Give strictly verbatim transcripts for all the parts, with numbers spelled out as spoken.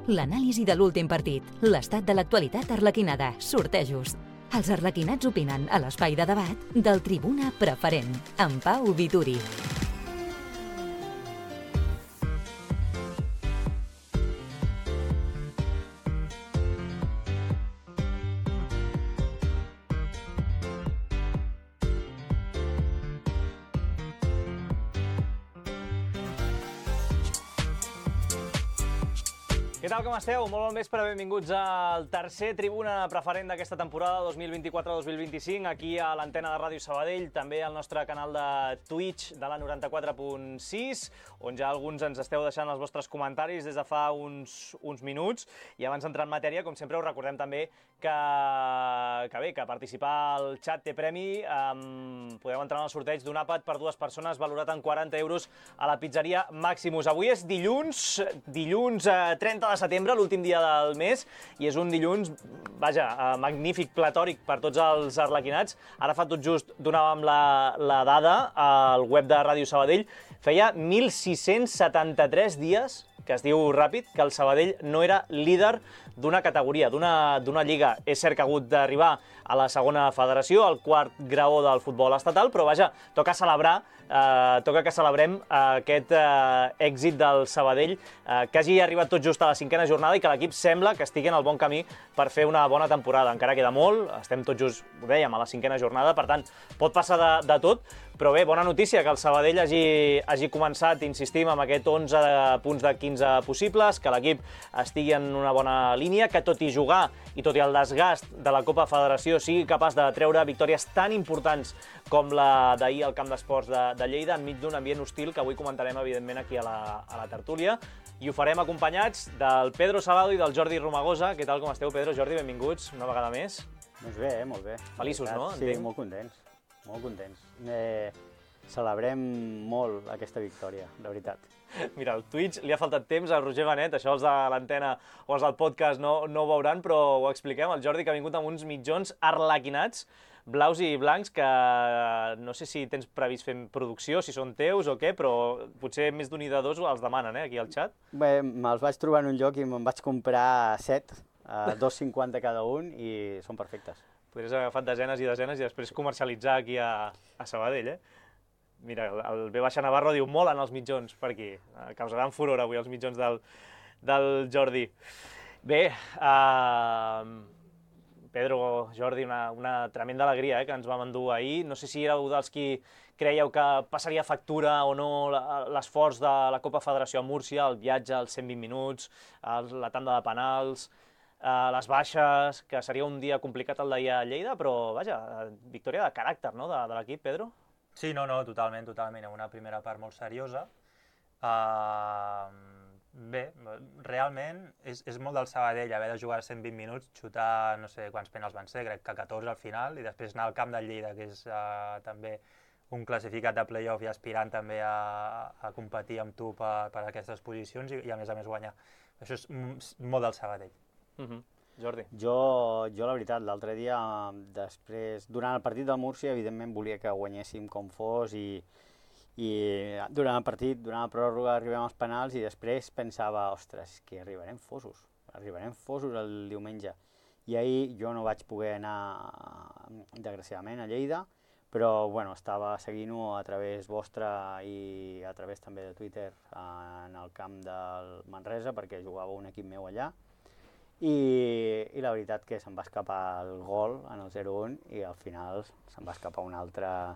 l'anàlisi de l'últim partit, l'estat de l'actualitat arlequinada, sortejos. Els arlequinats opinen a l'espai de debat del Tribuna Preferent, amb Pau Vituri. Què tal, com esteu? Molt bon vespre, benvinguts al tercer Tribuna Preferent d'aquesta temporada dos mil vint-i-quatre dos mil vint-i-cinc, aquí a l'antena de Ràdio Sabadell, també al nostre canal de Twitch de la noranta-quatre punt sis, on ja alguns ens esteu deixant els vostres comentaris des de fa uns, uns minuts. I abans d'entrar en matèria, com sempre, us recordem també que, que bé, que participar al xat té premi. Um, podeu entrar en el sorteig d'un àpat per dues persones valorat en quaranta euros a la pizzeria Maximus. Avui és dilluns, dilluns eh, trenta de setembre, l'últim dia del mes, i és un dilluns, vaja, magnífic, platòric per tots els arlequinats. Ara fa tot just donàvem la, la dada al web de Ràdio Sabadell. Feia mil sis-cents setanta-tres dies, que es diu ràpid, que el Sabadell no era líder d'una categoria, d'una lliga. És cert que ha hagut d'arribar a la segona federació, al quart graó del futbol estatal, però vaja, toca celebrar, eh, toca que celebrem aquest eh, èxit del Sabadell, eh, que hagi arribat tot just a la cinquena jornada i que l'equip sembla que estigui en el bon camí per fer una bona temporada. Encara queda molt, estem tot just, ho dèiem, a la cinquena jornada, per tant, pot passar de, de tot, però bé, bona notícia que el Sabadell hagi, hagi començat, insistim, amb aquest onze punts de quinze possibles, que l'equip estigui en una bona línia, que tot i jugar i tot i el desgast de la Copa Federació sigui capaç de treure victòries tan importants com la d'ahir al Camp d'Esports de, de Lleida, enmig d'un ambient hostil que avui comentarem, evidentment, aquí a la, a la tertúlia. I ho farem acompanyats del Pedro Salado i del Jordi Romagosa. Què tal, com esteu, Pedro? Jordi, benvinguts una vegada més. Doncs bé, molt bé. Feliços, no? Sí, Entenc. molt contents. Molt contents. Eh, celebrem molt aquesta victòria, de veritat. Mira, al Twitch li ha faltat temps a Roger Benet, això els de l'antena o els del podcast no, no ho veuran, però ho expliquem. El Jordi, que ha vingut amb uns mitjons arlequinats, blaus i blancs, que no sé si tens previst fer producció, si són teus o què, però potser més d'un i de dos els demanen, eh, aquí al xat. Bé, me'ls vaig trobar en un lloc i me'n vaig comprar set, a dos cinquanta cada un, i són perfectes. Podries haver agafat desenes i desenes i després comercialitzar aquí a, a Sabadell, eh? Mira, el B. Navarro diu molen els mitjons per aquí. Causaran furor avui els mitjons del, del Jordi. Bé, uh, Pedro, Jordi, una, una tremenda alegria eh, que ens vam endur ahir. No sé si éreu dels qui creieu que passaria factura o no l'esforç de la Copa Federació a Múrcia, el viatge als cent vint minuts, la tanda de penals, uh, les baixes, que seria un dia complicat el d'ahir a Lleida, però vaja, victòria de caràcter, no?, de, de l'equip, Pedro? Sí, no, no, totalment, totalment. Una primera part molt seriosa. Uh, bé, realment és, és molt del Sabadell haver de jugar cent vint minuts, xutar no sé quants penals van ser, crec que catorze al final, i després anar al camp del Lleida, que és uh, també un classificat de play-off i aspirant també a, a competir amb tu per, per aquestes posicions i, i a més a més guanyar. Això és molt del Sabadell. Uh-huh. Jordi. Jo, jo la veritat, l'altre dia, després, durant el partit del Múrcia, evidentment volia que guanyéssim com fos i, i durant el partit, durant la pròrroga, arribem als penals i després pensava, ostres, que arribarem fosos, arribarem fosos el diumenge. I ahir jo no vaig poder anar, desgraciadament, a Lleida, però bueno, estava seguint-ho a través vostre i a través també de Twitter en el camp del Manresa, perquè jugava un equip meu allà. I, i la veritat que se'm va escapar el gol en el zero un i al final se'm va escapar una altra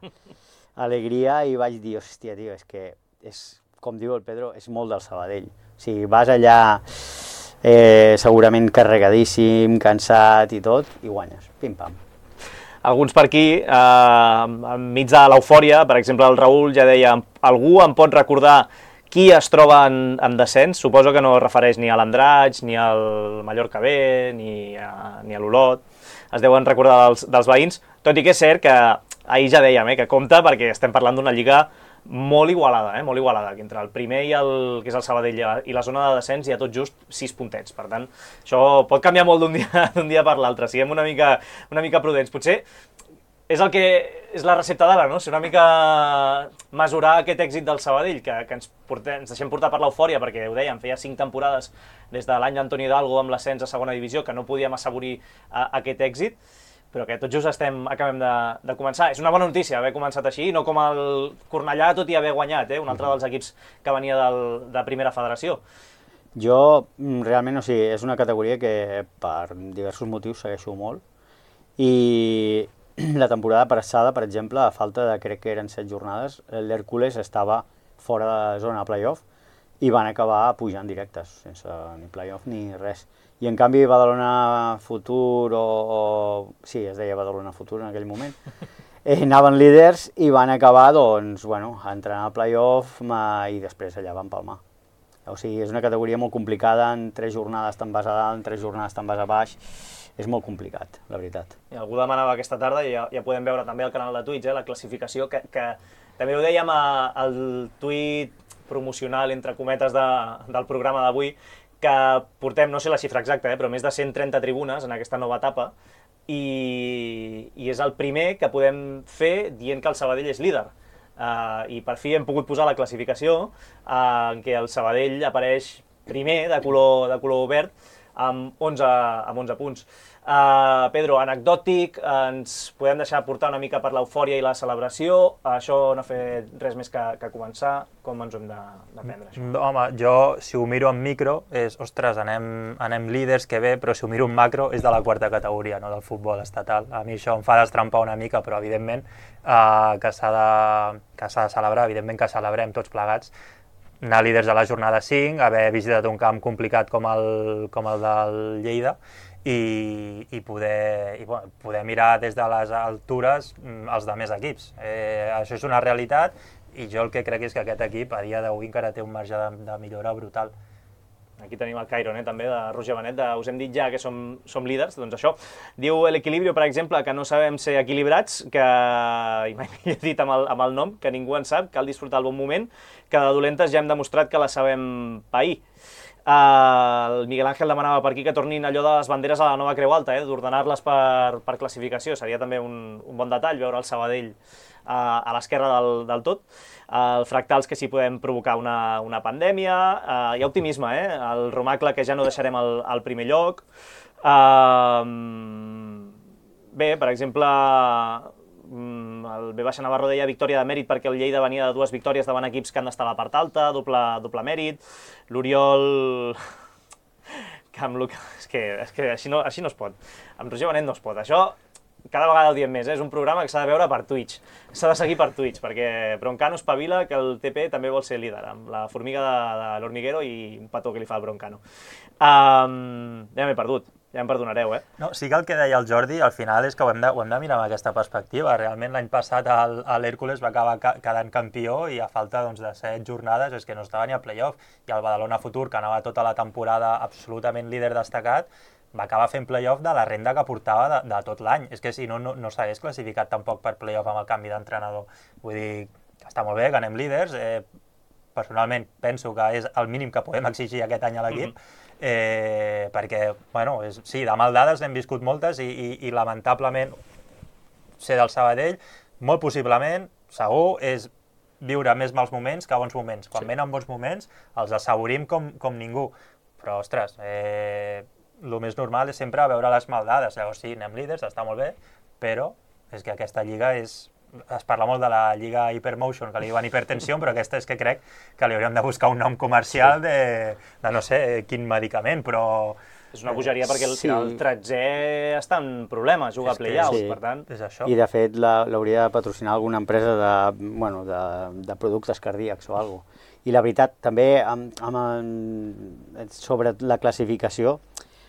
alegria i vaig dir, hòstia, tio, és que, és, com diu el Pedro, és molt del Sabadell. O sigui, vas allà eh, segurament carregadíssim, cansat i tot, i guanyes, pim-pam. Alguns per aquí, eh, enmig de l'eufòria, per exemple, el Raül ja deia, algú em pot recordar qui es troba en, en descens? Suposo que no es refereix ni a l'Andratx, ni al Mallorca B, ni a, ni a l'Olot. Es deuen recordar dels, dels veïns, tot i que és cert que ahir ja dèiem eh, que compta perquè estem parlant d'una lliga molt igualada, eh, molt igualada, que entre el primer i el, que és el Sabadell i la zona de descens hi ha tot just sis puntets. Per tant, això pot canviar molt d'un dia, d'un dia per l'altre. Siguem una mica, una mica prudents. Potser és el que és la recepta d'ara, no? Ser una mica mesurar aquest èxit del Sabadell, que, que ens, portem, ens deixem portar per l'eufòria, perquè ho dèiem, feia cinc temporades des de l'any d'Antoni Hidalgo amb l'ascens a segona divisió, que no podíem assaborir uh, aquest èxit, però que tot just estem, acabem de, de començar. És una bona notícia haver començat així, no com el Cornellà, tot i haver guanyat, eh? Un altre dels equips que venia del, de primera federació. Jo, realment, o sigui, és una categoria que per diversos motius segueixo molt, i la temporada passada, per exemple, a falta de, crec que eren set jornades, l'Hèrcules estava fora de zona playoff i van acabar pujant directes, sense ni playoff ni res. I en canvi Badalona Futur, o, o sí, es deia Badalona Futur en aquell moment, eh, anaven líders i van acabar, doncs, bueno, entrant al playoff i després allà van palmar. O sigui, és una categoria molt complicada, en tres jornades te'n vas a dalt, en tres jornades te'n vas a baix, és molt complicat, la veritat. I algú demanava aquesta tarda, i ja, ja podem veure també al canal de Twitch, eh, la classificació, que, que també ho dèiem a, al tuit promocional, entre cometes, de, del programa d'avui, que portem, no sé la xifra exacta, eh, però més de cent trenta tribunes en aquesta nova etapa, i, i és el primer que podem fer dient que el Sabadell és líder. Uh, I per fi hem pogut posar la classificació uh, en què el Sabadell apareix primer, de color, de color verd, amb onze, amb onze punts. Uh, Pedro, anecdòtic, ens podem deixar portar una mica per l'eufòria i la celebració, això no ha fet res més que, que començar, com ens ho hem de, de prendre, això? Home, jo, si ho miro en micro, és, ostres, anem, anem líders, que bé, però si ho miro en macro és de la quarta categoria, no del futbol estatal. A mi això em fa destrampar una mica, però evidentment uh, que s'ha de, que s'ha de celebrar, evidentment que celebrem tots plegats, anar líders a la jornada cinc, haver visitat un camp complicat com el, com el del Lleida, i, i, poder, i bueno, poder mirar des de les altures els de més equips. Eh, això és una realitat i jo el que crec és que aquest equip a dia d'avui encara té un marge de, de millora brutal. Aquí tenim el Cairon, eh, també, de Roger Benet, de, us hem dit ja que som, som líders, doncs això. Diu l'Equilibrio, per exemple, que no sabem ser equilibrats, que, i mai he dit amb el, amb el nom, que ningú en sap, cal disfrutar el bon moment, que de dolentes ja hem demostrat que la sabem pair. Uh, el Miguel Ángel demanava per aquí que tornin allò de les banderes a la nova Creu Alta, eh, d'ordenar-les per, per classificació. Seria també un, un bon detall veure el Sabadell uh, a l'esquerra del, del tot. Uh, el Fractals, que sí podem provocar una, una pandèmia. Uh, hi ha optimisme, eh? El Romacle, que ja no deixarem al, al primer lloc. Uh, bé, per exemple, el B. Navarro deia victòria de mèrit perquè el Lleida venia de dues victòries davant equips que han d'estar a la part alta, doble, doble mèrit. L'Oriol... que amb Luca... És que, és que així, no, així no es pot. Amb Roger Benet no es pot. Això cada vegada ho diem més, eh? És un programa que s'ha de veure per Twitch. S'ha de seguir per Twitch, perquè Broncano espavila que el T P també vol ser líder, amb la formiga de, de l'Hormiguero i un petó que li fa el Broncano. Um, ja m'he perdut. Ja em perdonareu, eh? No, sí que el que deia el Jordi, al final és que ho hem de, ho hem de mirar amb aquesta perspectiva. Realment l'any passat l'Hèrcules va acabar ca quedant campió i a falta doncs, de set jornades és que no estava ni al playoff. I el Badalona Futur, que anava tota la temporada absolutament líder destacat, va acabar fent playoff de la renda que portava de, de tot l'any. És que si no, no, no s'hagués classificat tampoc per playoff amb el canvi d'entrenador. Vull dir, està molt bé que anem líders. Eh, personalment penso que és el mínim que podem exigir aquest any a l'equip. Mm-hmm. Eh, perquè, bueno, és, sí, de maldades n'hem viscut moltes i, i, i lamentablement ser del Sabadell, molt possiblement, segur, és viure més mals moments que bons moments. Quan sí. Venen bons moments els assaborim com, com ningú, però, ostres, eh, el més normal és sempre veure les maldades. Llavors sí, anem líders, està molt bé, però és que aquesta lliga és... Es parla molt de la lliga Hypermotion, que li diuen hipertensió, però aquesta és que crec que li hauríem de buscar un nom comercial de, de no sé quin medicament, però... És una bogeria perquè el, sí. el tretzè està en problemes, juga a play-outs, sí. Per tant... És això. I de fet l'hauria de patrocinar alguna empresa de, bueno, de, de productes cardíacs o alguna cosa. I la veritat, també amb, amb, sobre la classificació,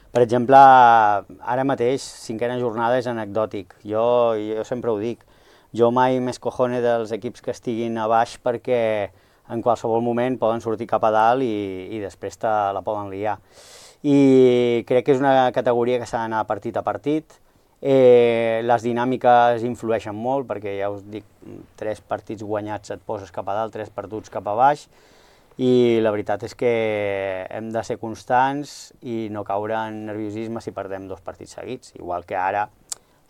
per exemple, ara mateix, cinquena jornada és anecdòtic. Jo, jo sempre ho dic. Jo mai més cojone dels equips que estiguin a baix perquè en qualsevol moment poden sortir cap a dalt i, i després te la poden liar. I crec que és una categoria que s'ha d'anar partit a partit. Eh, les dinàmiques influeixen molt perquè ja us dic, tres partits guanyats et poses cap a dalt, tres perduts cap a baix. I la veritat és que hem de ser constants i no caure en nerviosisme si perdem dos partits seguits. Igual que ara,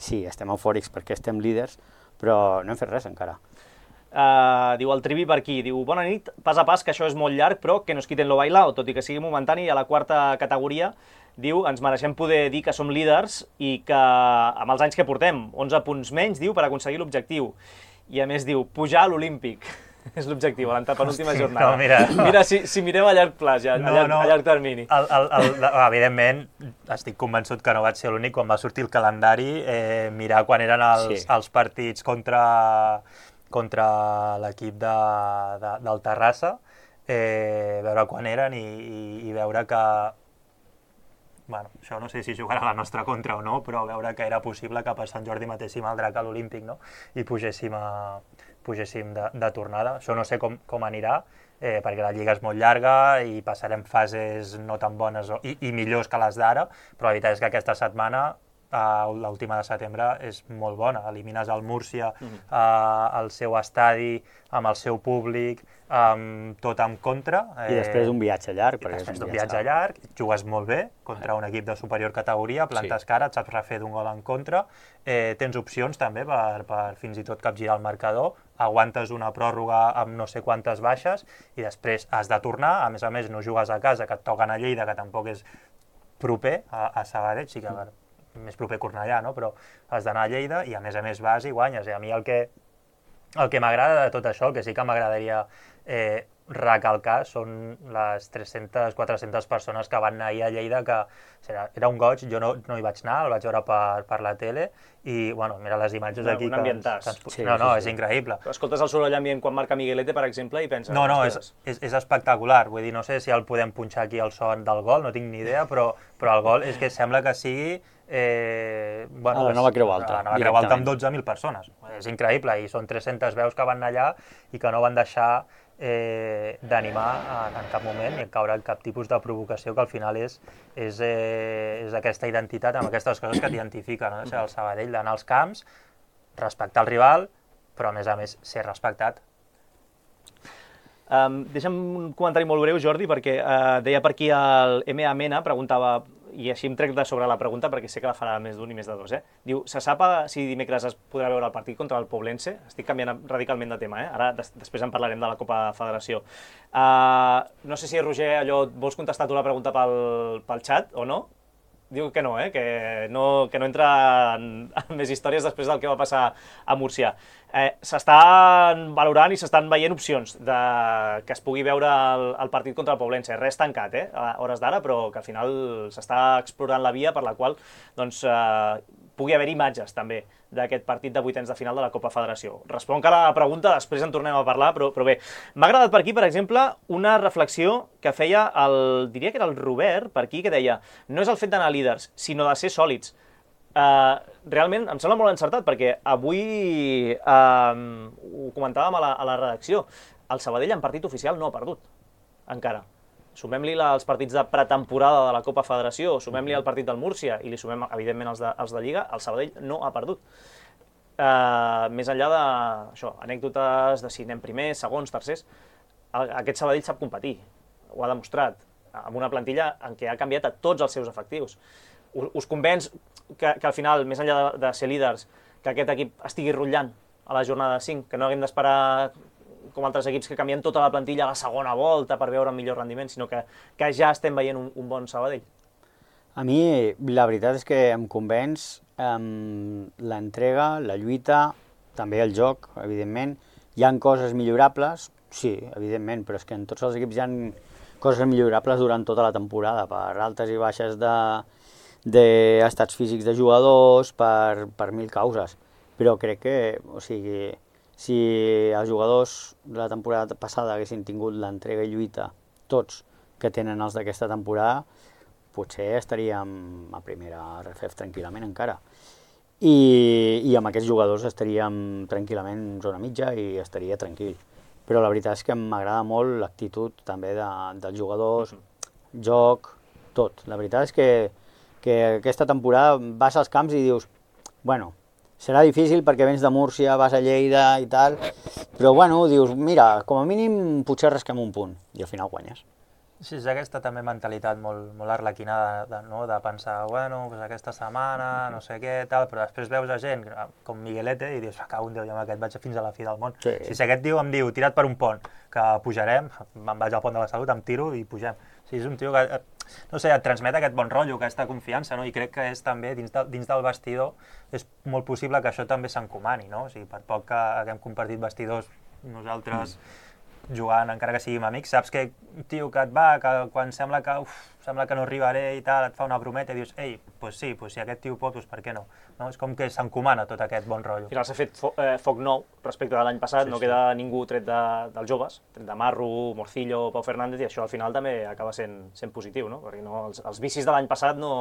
sí, estem eufòrics perquè estem líders, però no hem fet res encara. Uh, diu el Trivi per aquí, diu bona nit, pas a pas que això és molt llarg però que no es quiten lo bailao, tot i que sigui momentani a la quarta categoria, diu ens mereixem poder dir que som líders i que amb els anys que portem, onze punts menys, diu, per aconseguir l'objectiu, i a més diu pujar a l'Olímpic, és l'objectiu, a l'antepenúltima jornada. No, mira, mira si, si mirem a llarg plaç, ja, no, a, llarg, no, a llarg termini. El, el, el, evidentment, estic convençut que no vaig ser l'únic, quan va sortir el calendari, eh, mirar quan eren els, Sí. els partits contra... contra l'equip de, de, del Terrassa, eh, veure quan eren i, i, i veure que, bueno, això no sé si jugarà a la nostra contra o no, però veure que era possible que per Sant Jordi matéssim el drac a l'Olímpic, no? I pugéssim, a, pugéssim de, de tornada. Això no sé com, com anirà, eh, perquè la lliga és molt llarga i passarem fases no tan bones o, i, i millors que les d'ara, però la veritat és que aquesta setmana Uh, l'última de setembre és molt bona. Elimines el Múrcia uh, al seu estadi, amb el seu públic, um, tot en contra. I després d'un viatge llarg. I després d'un viatge llarg, jugues molt bé contra un equip de superior categoria, plantes sí. cara, et saps refer d'un gol en contra, eh, tens opcions també per, per fins i tot capgirar el marcador, aguantes una pròrroga amb no sé quantes baixes i després has de tornar, a més a més no jugues a casa, que et toquen a Lleida, que tampoc és proper a, a Sabadell, sí que mm. més proper Cornellà, no? Però has d'anar a Lleida i a més a més vas i guanyes. I a mi el que, el que m'agrada de tot això, el que sí que m'agradaria eh, recalcar, són les tres-centes quatre-centes persones que van anar ahir a Lleida, que era, era un goig, jo no, no hi vaig anar, el vaig veure per, per la tele, i bueno, mira les imatges un, aquí. Un ambientàs. Que ens, sí, no, no, sí, sí. És increïble. Escoltes el soroll ambient quan marca Miguelete, per exemple, i penses... No, no, és, és, és espectacular, vull dir, no sé si el podem punxar aquí el son del gol, no tinc ni idea, però, però el gol és que sembla que sigui... Eh, bueno, a la nova Creu Alta. A la nova Creu Alta amb dotze mil persones. És increïble, i són tres-centes veus que van anar allà i que no van deixar eh, d'animar en, en cap moment ni caure en cap tipus de provocació, que al final és, és, eh, és aquesta identitat, amb aquestes coses que t'identifiquen, no? O sigui, el Sabadell d'anar als camps, respectar el rival, però a més a més ser respectat. Um, deixa'm un comentari molt breu, Jordi, perquè uh, deia per aquí el M A Mena, preguntava, i així em trec de sobre la pregunta perquè sé que la farà més d'un i més de dos, eh? Diu, se sap si dimecres es podrà veure el partit contra el Poblense? Estic canviant radicalment de tema, eh? Ara des després en parlarem de la Copa Federació. Uh, no sé si, Roger, allò, vols contestar tu la pregunta pel, pel xat o no? Diu que no, eh? que, no, que no entra en, en més històries després del que va passar a Múrcia. Eh, s'estan valorant i s'estan veient opcions de que es pugui veure el, el partit contra el Poblense. Res tancat, eh? a hores d'ara, però que al final s'està explorant la via per la qual doncs, eh, pugui haver imatges també d'aquest partit de vuitens de final de la Copa Federació. Responc a la pregunta, després en tornem a parlar, però, però bé. M'ha agradat per aquí, per exemple, una reflexió que feia el, diria que era el Robert, per aquí, que deia no és el fet d'anar líders, sinó de ser sòlids. Uh, realment em sembla molt encertat, perquè avui uh, ho comentàvem a la, a la redacció, el Sabadell en partit oficial no ha perdut, encara. Sumem-li els partits de pretemporada de la Copa Federació, sumem-li el partit del Múrcia i li sumem, evidentment, els de, els de Lliga, el Sabadell no ha perdut. Uh, més enllà de això, anècdotes de si anem primers, segons, tercers, aquest Sabadell sap competir, ho ha demostrat, amb una plantilla en què ha canviat a tots els seus efectius. Us, us convenç que, que al final, més enllà de, de ser líders, que aquest equip estigui rotllant a la jornada cinc, que no haguem d'esperar com altres equips que canvien tota la plantilla a la segona volta per veure un millor rendiment, sinó que, que ja estem veient un, un bon Sabadell? A mi la veritat és que em convenç um, l'entrega, la lluita, també el joc, evidentment. Hi ha coses millorables, sí, evidentment, però és que en tots els equips hi ha coses millorables durant tota la temporada, per altes i baixes d'estats físics de jugadors, per, per mil causes. Però crec que, o sigui, si els jugadors de la temporada passada haguessin tingut l'entrega i lluita, tots que tenen els d'aquesta temporada, potser estaríem a primera R F F tranquil·lament encara. I, i amb aquests jugadors estaríem tranquil·lament en zona mitja i estaria tranquil. Però la veritat és que m'agrada molt l'actitud també de, dels jugadors, joc, tot. La veritat és que, que aquesta temporada vas als camps i dius, bueno, serà difícil perquè vens de Múrcia, vas a Lleida i tal, però bueno, dius, mira, com a mínim potser rasquem un punt, i al final guanyes. Sí, és aquesta també mentalitat molt, molt arlequinada de, no? de pensar, bueno, pues aquesta setmana, no sé què, tal, però després veus a gent com Miguelete i dius, cago en Déu, jo amb aquest vaig fins a la fi del món. Sí. Si aquest tio em diu, tira't per un pont, que pujarem, me'n vaig al pont de la Salut, em tiro i pugem. O sigui, és un tio que, no sé, et transmet aquest bon rotllo, aquesta confiança, no? I crec que és també, dins, de, dins del vestidor, és molt possible que això també s'encomani, no? O sigui, per poc que haguem compartit vestidors nosaltres, mm. jugant, encara que siguin amics, saps que un tio que et va, que quan sembla que, uf, sembla que no arribaré i tal, et fa una brometa i dius, ei, pues sí, pues si aquest tio pot, pues per què no? no? És com que s'encomana tot aquest bon rotllo. Al final s'ha fet fo eh, foc nou respecte de l'any passat, sí, no sí. queda ningú tret de, dels joves, tret de Marro, Morcillo, Pau Fernández, i això al final també acaba sent, sent positiu, no? Perquè no, els, els vicis de l'any passat no,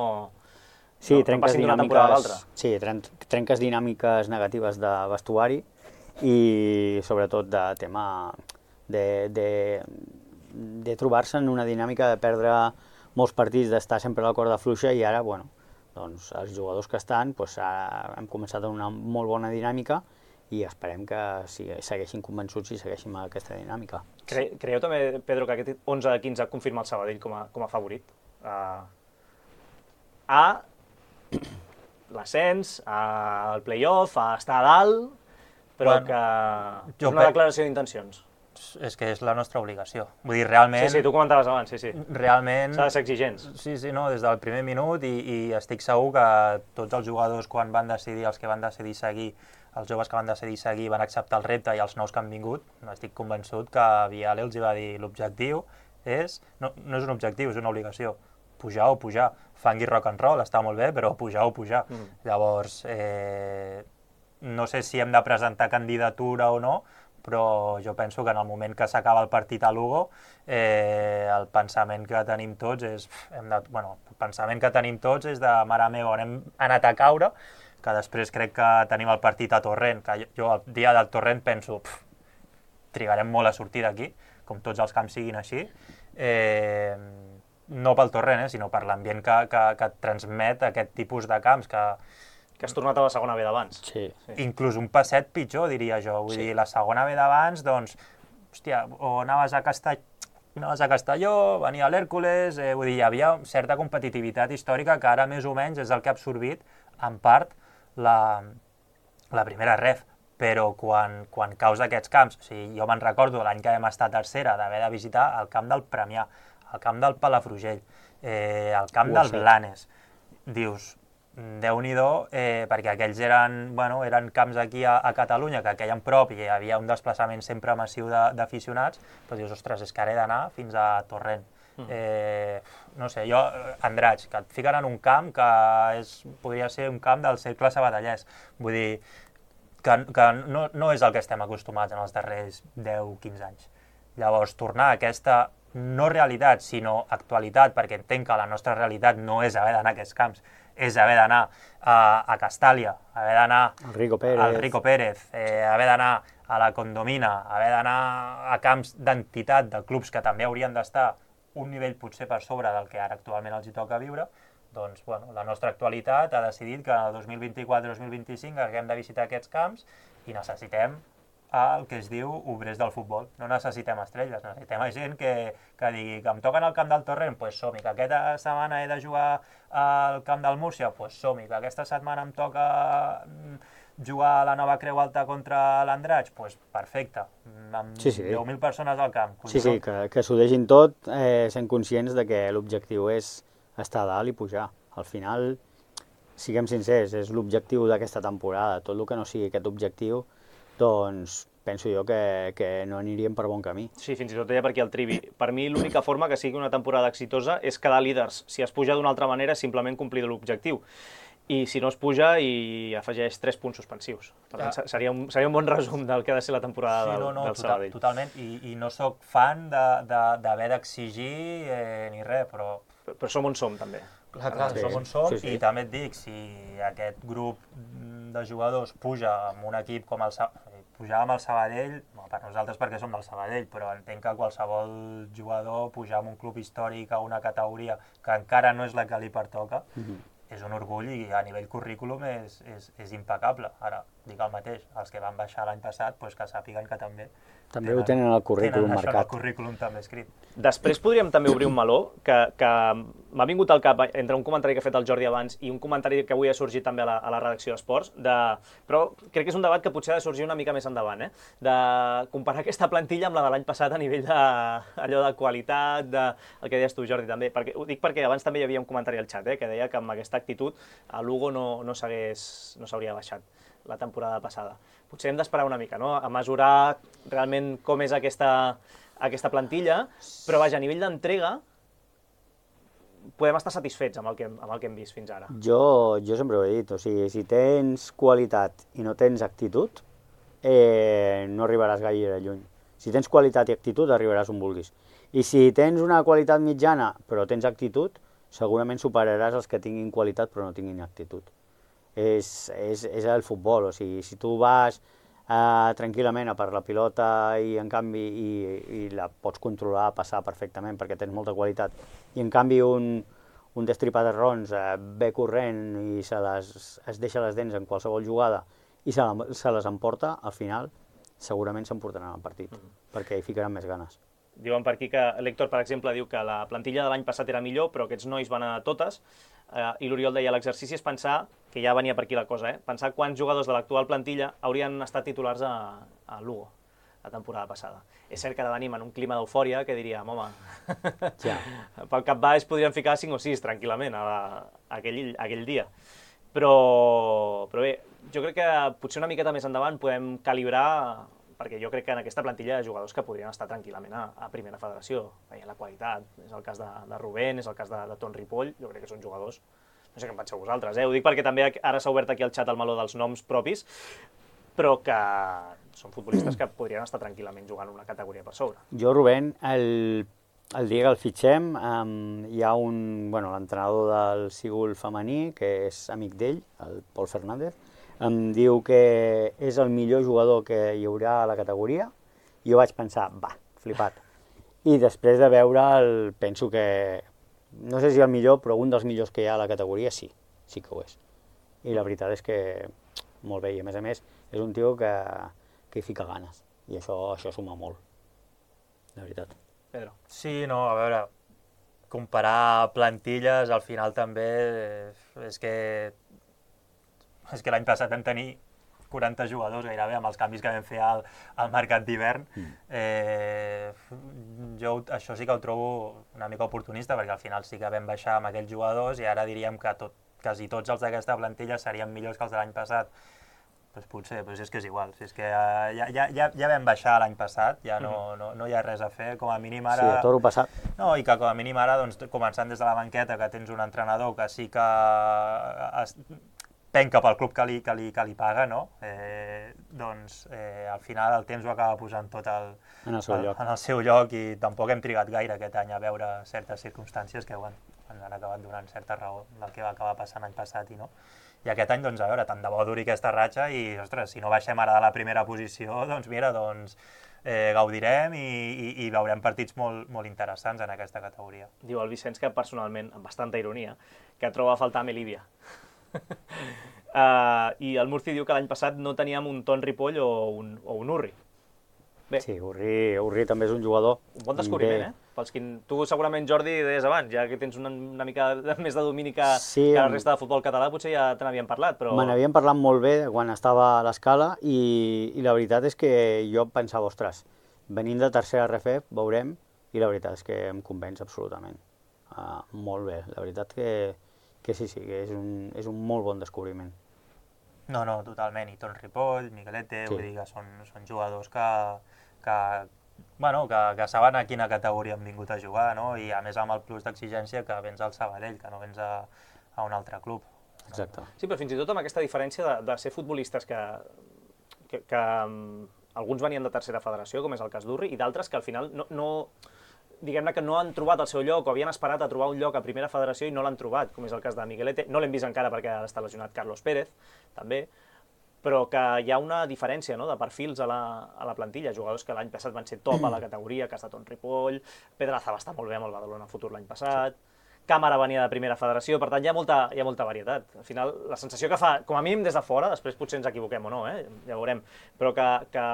sí, no, no passin d'una temporada a l'altra. Sí, tren trenques dinàmiques negatives de vestuari i sobretot de tema de, de, de trobar-se en una dinàmica de perdre molts partits, d'estar sempre a la corda fluixa i ara, bueno, doncs els jugadors que estan, doncs ara hem començat amb una molt bona dinàmica i esperem que segueixin convençuts i segueixin aquesta dinàmica. Cre Creieu també, Pedro, que aquest onze de quinze confirma el Sabadell com a, com a favorit? Uh, a l'ascens, al play-off, a estar a dalt, però bueno, que és una declaració d'intencions. És que és la nostra obligació. Vull dir, realment... Sí, sí, tu comentaves abans, sí, sí. Realment... S'ha de ser exigents. Sí, sí, no, des del primer minut i, i estic segur que tots els jugadors quan van decidir, els que van decidir seguir, els joves que van decidir seguir van acceptar el repte i els nous que han vingut, estic convençut que Viale els va dir l'objectiu és... No, no és un objectiu, és una obligació. Pujar o pujar. Fangui rock and roll, està molt bé, però pujar o pujar. Mm. Llavors, eh, no sé si hem de presentar candidatura o no, però jo penso que en el moment que s'acaba el partit a Lugo, eh, el pensament que tenim tots és, hem de, bueno, el pensament que tenim tots és de mare meva, on hem anat a caure, que després crec que tenim el partit a Torrent, que jo el dia del Torrent penso, pf, trigarem molt a sortir d'aquí, com tots els camps siguin així, eh, no pel Torrent, eh, sinó per l'ambient que, que, que transmet aquest tipus de camps, que que has tornat a la segona B d'abans. Sí. sí. Inclús un passet pitjor, diria jo. Vull sí. dir, la segona B d'abans, doncs, hòstia, o anaves a, Castell... anaves a Castelló, venia l'Hèrcules, eh, vull dir, hi havia certa competitivitat històrica que ara més o menys és el que ha absorbit, en part, la, la primera ref. Però quan, quan caus d'aquests camps, o sigui, jo me'n recordo l'any que vam estar tercera d'haver de visitar el camp del Premià, el camp del Palafrugell, eh, el camp uh, del sí. Blanes. Dius, Déu-n'hi-do, eh, perquè aquells eren, bueno, eren camps aquí a, a Catalunya, que queien prop i hi havia un desplaçament sempre massiu d'aficionats, però dius, ostres, és que ara he d'anar fins a Torrent. Mm. Eh, no sé, jo, Andratx, que et fiquen en un camp que és, podria ser un camp del cercle sabadellès. Vull dir, que, que no, no és el que estem acostumats en els darrers deu o quinze anys. Llavors, tornar a aquesta no realitat, sinó actualitat, perquè entenc que la nostra realitat no és haver d'anar a aquests camps, és haver d'anar a, a Castàlia, haver d'anar Rico Pérez, al Rico Pérez eh, haver d'anar a la Condomina, haver d'anar a camps d'entitat de clubs que també haurien d'estar un nivell potser per sobre del que ara actualment els hi toca viure, doncs bueno, la nostra actualitat ha decidit que el dos mil vint-i-quatre dos mil vint-i-cinc haguem de visitar aquests camps i necessitem el que es diu obrers del futbol. No necessitem estrelles, necessitem gent que, que digui que em toquen al camp del Torrent, doncs pues som-hi, que aquesta setmana he de jugar al camp del Múrcia, doncs pues som-hi, que aquesta setmana em toca jugar a la Nova Creu Alta contra l'Andratx, doncs pues perfecte, amb sí, sí. deu mil persones al camp. Sí, sí, que, que s'ho deixin tot, eh, sent conscients de que l'objectiu és estar a dalt i pujar. Al final, siguem sincers, és l'objectiu d'aquesta temporada. Tot el que no sigui aquest objectiu, doncs penso jo que, que no aniríem per bon camí. Sí, fins i tot deia per aquí el Trivi. Per mi l'única forma que sigui una temporada exitosa és quedar líders. Si es puja d'una altra manera és simplement complir l'objectiu. I si no es puja i afegeix tres punts suspensius. Per tant, seria un, seria un bon resum del que ha de ser la temporada sí, no, no, del, del Sabadell. Totalment, i, i no sóc fan d'haver de, de, d'exigir eh, ni res, però... però... Però som on som, també. Clar, clar, sí. som on som, sí, sí. I també et dic, si aquest grup de jugadors puja amb un equip com el Sabadell, pujar amb el Sabadell, no, per nosaltres perquè som del Sabadell, però entenc que qualsevol jugador pujar amb un club històric a una categoria que encara no és la que li pertoca, mm-hmm. és un orgull i a nivell currículum és, és, és impecable. Ara, dic el mateix, els que van baixar l'any passat, doncs que sàpiguen que també També ho tenen al currículum tenen això en el marcat. currículum també escrit. Després podríem també obrir un meló, que, que m'ha vingut al cap entre un comentari que ha fet el Jordi abans i un comentari que avui ha sorgit també a la, a la redacció d'Esports, de... però crec que és un debat que potser ha de sorgir una mica més endavant, eh? De comparar aquesta plantilla amb la de l'any passat a nivell de, allò de qualitat, de, el que deies tu, Jordi, també. Perquè, ho dic perquè abans també hi havia un comentari al xat, eh, que deia que amb aquesta actitud a Lugo no, no s'hagués no s'hauria baixat la temporada passada. Potser hem d'esperar una mica, no?, a mesurar realment com és aquesta, aquesta plantilla, però vaja, a nivell d'entrega podem estar satisfets amb el, que, amb el que hem vist fins ara. Jo, jo sempre ho he dit, o sigui, si tens qualitat i no tens actitud, eh, no arribaràs gaire lluny. Si tens qualitat i actitud, arribaràs on vulguis. I si tens una qualitat mitjana, però tens actitud, segurament superaràs els que tinguin qualitat però no tinguin actitud. És, és, és el futbol, o sigui, si tu vas eh, tranquil·lament a per la pilota i en canvi i, i la pots controlar, passar perfectament perquè tens molta qualitat, i en canvi un, un destripaterrons eh, ve corrent i se les, es deixa les dents en qualsevol jugada i se, la, se les emporta, al final segurament s'emportaran el partit, mm. perquè hi ficaran més ganes. Diuen per aquí que l'Héctor, per exemple, diu que la plantilla de l'any passat era millor, però aquests nois van a totes, eh, i l'Oriol deia l'exercici és pensar, que ja venia per aquí la cosa, eh, pensar quants jugadors de l'actual plantilla haurien estat titulars a, a Lugo la temporada passada. És cert que ara venim en un clima d'eufòria que diríem, home, ja. pel cap baix podríem ficar cinc o sis tranquil·lament a la, a aquell, a aquell dia. Però, però bé, jo crec que potser una miqueta més endavant podem calibrar, perquè jo crec que en aquesta plantilla hi ha jugadors que podrien estar tranquil·lament a, a primera federació, veient la qualitat. És el cas de, de Rubén, és el cas de, de Ton Ripoll, jo crec que són jugadors, no sé què en penseu vosaltres, eh? Ho dic perquè també ara s'ha obert aquí al xat el meló dels noms propis, però que són futbolistes que podrien estar tranquil·lament jugant una categoria per sobre. Jo, Rubén, el, el dia que el fitxem, um, hi ha un, bueno, l'entrenador del Sigul femení, que és amic d'ell, el Pol Fernández, em diu que és el millor jugador que hi haurà a la categoria, i jo vaig pensar, va, flipat. I després de veure'l, penso que, no sé si el millor, però un dels millors que hi ha a la categoria sí, sí que ho és. I la veritat és que molt bé, i a més a més és un tio que, que hi fica ganes, i això, això suma molt, de veritat. Pedro. Sí, no, a veure, comparar plantilles al final també és que és que l'any passat vam tenir quaranta jugadors gairebé amb els canvis que vam fer al, al mercat d'hivern. Mm. Eh, jo això sí que ho trobo una mica oportunista, perquè al final sí que vam baixar amb aquells jugadors i ara diríem que tot, quasi tots els d'aquesta plantilla serien millors que els de l'any passat. Pues potser, pues és que és igual, si és que uh, ja, ja, ja, ja vam baixar l'any passat, ja no, no, no hi ha res a fer, com a mínim ara... Sí, a toro passat. No, i que com a mínim ara, doncs, començant des de la banqueta, que tens un entrenador que sí que es, penca pel club que li, que li, que li paga, no? Eh, doncs eh, al final el temps ho acaba posant tot el, en, el seu el, lloc. en el seu lloc, i tampoc hem trigat gaire aquest any a veure certes circumstàncies que bueno, ens han acabat donant certa raó del que va acabar passant l'any passat i no. I aquest any, doncs, a veure, tant de bo duri aquesta ratxa i, ostres, si no baixem ara de la primera posició, doncs mira, doncs eh, gaudirem i, i, i veurem partits molt, molt interessants en aquesta categoria. Diu el Vicenç que personalment, amb bastanta ironia, que troba a faltar Melívia. uh, I el Murci diu que l'any passat no teníem un Ton Ripoll o un, o un Urri. Bé. Sí, Urri, Urri també és un jugador. Un bon descobriment, eh? Pels que... Tu segurament, Jordi, deies abans, ja que tens una, una mica més de domini que, sí, que la resta de futbol català, potser ja te n'havíem parlat, però... Me n'havíem parlat molt bé quan estava a l'escala i, i la veritat és que jo pensava, ostres, venint de tercera R F, veurem, i la veritat és que em convenç absolutament. Uh, molt bé, la veritat que, que sí, sí, que és un, és un molt bon descobriment. No, no, totalment, i Ton Ripoll, Miguelete, sí. Vull dir que són, són jugadors que, que, bueno, que, que saben a quina categoria han vingut a jugar, no? I a més amb el plus d'exigència que vens al Sabadell, que no vens a, a un altre club. Exacte. Sí, però fins i tot amb aquesta diferència de, de ser futbolistes que, que, que um, alguns venien de tercera federació, com és el cas d'Urri, i d'altres que al final no... no diguem-ne que no han trobat el seu lloc o havien esperat a trobar un lloc a primera federació i no l'han trobat, com és el cas de Miguelete. No l'hem vist encara perquè ara està lesionat Carlos Pérez, també, però que hi ha una diferència, no?, de perfils a la, a la plantilla, jugadors que l'any passat van ser top a la categoria, cas de Ton Ripoll, Pedraza va estar molt bé amb el Badalona Futur l'any passat, Càmera venia de primera federació, per tant hi ha molta, hi ha molta varietat. Al final, la sensació que fa, com a mínim des de fora, després potser ens equivoquem o no, eh? Ja veurem, però que, que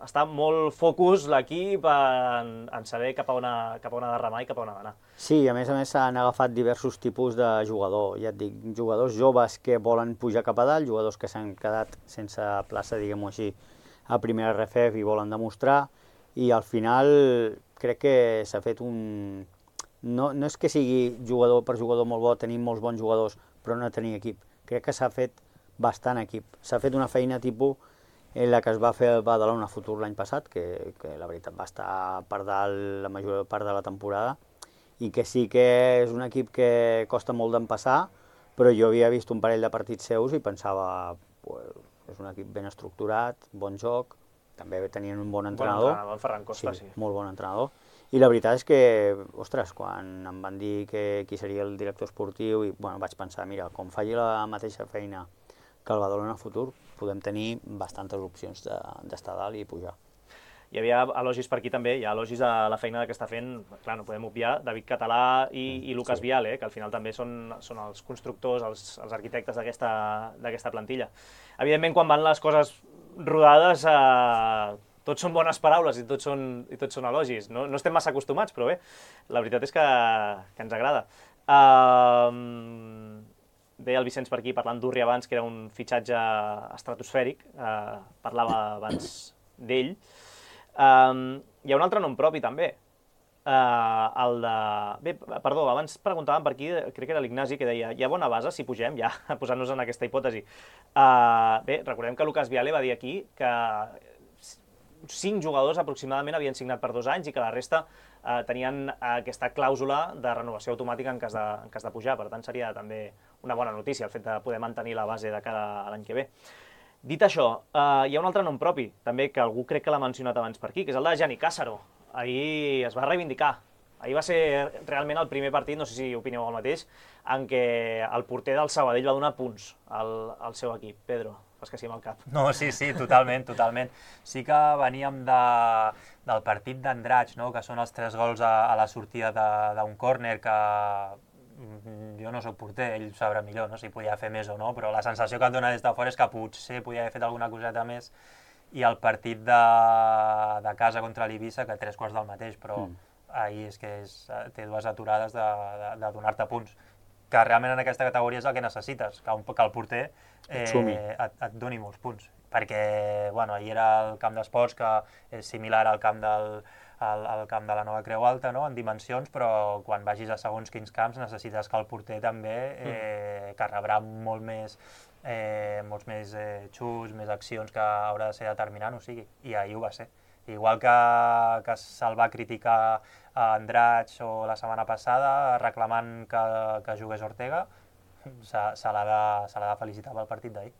està molt focus l'equip en, en saber cap a, on, cap a on ha de remar i cap a on ha d'anar. Sí, a més a més s'han agafat diversos tipus de jugador, ja et dic, jugadors joves que volen pujar cap a dalt, jugadors que s'han quedat sense plaça, diguem-ho així, a primera R F F i volen demostrar, i al final crec que s'ha fet un... No, no és que sigui jugador per jugador molt bo, tenim molts bons jugadors, però no tenir equip. Crec que s'ha fet bastant equip. S'ha fet una feina tipus en la que es va fer el Badalona Futur l'any passat, que, que la veritat va estar per dalt la major part de la temporada, i que sí que és un equip que costa molt d'empassar, però jo havia vist un parell de partits seus i pensava, pues, és un equip ben estructurat, bon joc, també tenien un bon entrenador. Bon entrenador, el Ferran Costa, sí. Sí, molt bon entrenador. I la veritat és que, ostres, quan em van dir que qui seria el director esportiu, i bueno, vaig pensar, mira, com faci la mateixa feina que el Badalona Futur, podem tenir bastantes opcions d'estar dalt i pujar. Hi havia elogis per aquí també, hi ha elogis a la feina que està fent, clar, no podem obviar, David Català i, i Lucas Sí. Viale, que al final també són, són els constructors, els, els arquitectes d'aquesta plantilla. Evidentment, quan van les coses rodades, eh, tots són bones paraules i tots són, i tots són elogis. No, no estem massa acostumats, però bé, la veritat és que, que ens agrada. Uh, Deia el Vicenç per aquí, parlant d'Urri abans, que era un fitxatge estratosfèric, eh, parlava abans d'ell. Um, hi ha un altre nom propi, també. Uh, el de... Bé, perdó, abans preguntàvem per aquí, crec que era l'Ignasi, que deia, hi ha bona base si pugem, ja, posant-nos en aquesta hipòtesi. Uh, bé, recordem que Lucas Viale va dir aquí que cinc jugadors aproximadament havien signat per dos anys i que la resta eh, tenien aquesta clàusula de renovació automàtica en cas de, en cas de pujar. Per tant, seria també una bona notícia el fet de poder mantenir la base de cara a l'any que ve. Dit això, eh, hi ha un altre nom propi, també, que algú crec que l'ha mencionat abans per aquí, que és el de Gianni Cássaro. Ahir es va reivindicar. Ahir va ser realment el primer partit, no sé si opineu el mateix, en què el porter del Sabadell va donar punts al, al seu equip. Pedro, fas que sí amb el cap. No, sí, sí, totalment, totalment. Sí que veníem de, del partit d'Andratx, no? Que són els tres gols a, a la sortida d'un córner, que jo no sóc porter, ell sabrà millor, no? Si podia fer més o no, però la sensació que et dona des de fora és que potser podia haver fet alguna coseta més, i el partit de, de casa contra l'Eivissa, que tres quarts del mateix, però mm. ahir és que és, té dues aturades de, de, de donar-te punts, que realment en aquesta categoria és el que necessites, que, un, que el porter eh, et, et doni molts punts. Perquè, bueno, ahir era el camp d'esports, que és similar al camp, del, al, al camp de la Nova Creu Alta, no?, en dimensions, però quan vagis a segons quins camps necessites que el porter també, eh, que rebrà molt més, eh, molts més eh, xuts, més accions, que haurà de ser determinant, o sigui, i ahir ho va ser. Igual que, que se'l va criticar a Andratx o la setmana passada reclamant que, que jugués Ortega, se, se l'ha de, se l'ha de felicitar pel partit d'ahir.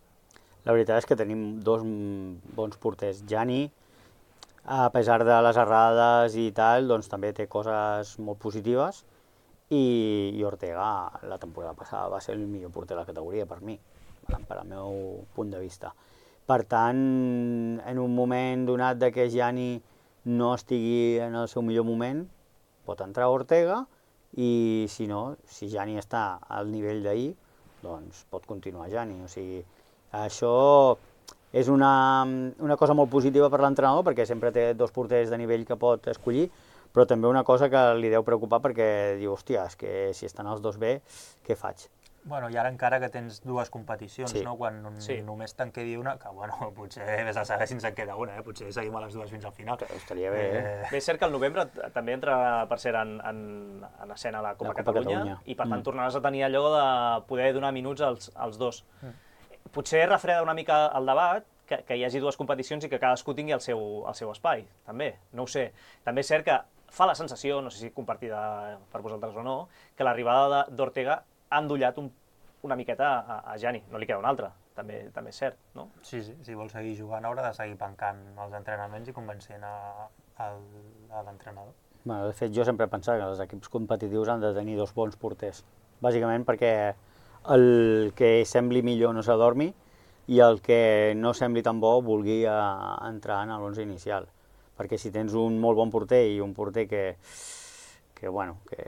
La veritat és que tenim dos bons porters. Gianni, a pesar de les errades i tal, doncs també té coses molt positives, i, i Ortega la temporada passada va ser el millor porter de la categoria per mi, per al meu punt de vista. Per tant, en un moment donat de que Gianni no estigui en el seu millor moment, pot entrar Ortega, i si no, si Gianni està al nivell d'ahir, doncs pot continuar Gianni. O sigui, això és una, una cosa molt positiva per l'entrenador, perquè sempre té dos porters de nivell que pot escollir, però també una cosa que li deu preocupar perquè diu, hòstia, és que si estan els dos bé, què faig? Bueno, i ara encara que tens dues competicions, sí. no? Quan sí. només te'n quedi una, que bueno, potser vés a saber si ens en queda una, eh? Potser seguim a les dues fins al final. Que estaria bé, eh? eh? Bé, és cert que al novembre també entra per ser en, en, en escena la Copa, la Copa Catalunya, Catalunya, i per tant mm. tornaràs a tenir allò de poder donar minuts als, als dos. Mm. Potser refreda una mica el debat, que, que hi hagi dues competicions i que cadascú tingui el seu, el seu espai, també, no ho sé. També és cert que fa la sensació, no sé si compartida per vosaltres o no, que l'arribada d'Ortega ha endollat un una miqueta a, a Gianni, no li queda un altre, també, també és cert, no? Sí, sí, si vol seguir jugant haurà de seguir pencant els entrenaments i convencent a, a, a l'entrenador. Bueno, de fet, jo sempre he pensat que els equips competitius han de tenir dos bons porters, bàsicament perquè el que sembli millor no s'adormi i el que no sembli tan bo vulgui a, a entrar en l'onze inicial. Perquè si tens un molt bon porter i un porter que, que bueno, que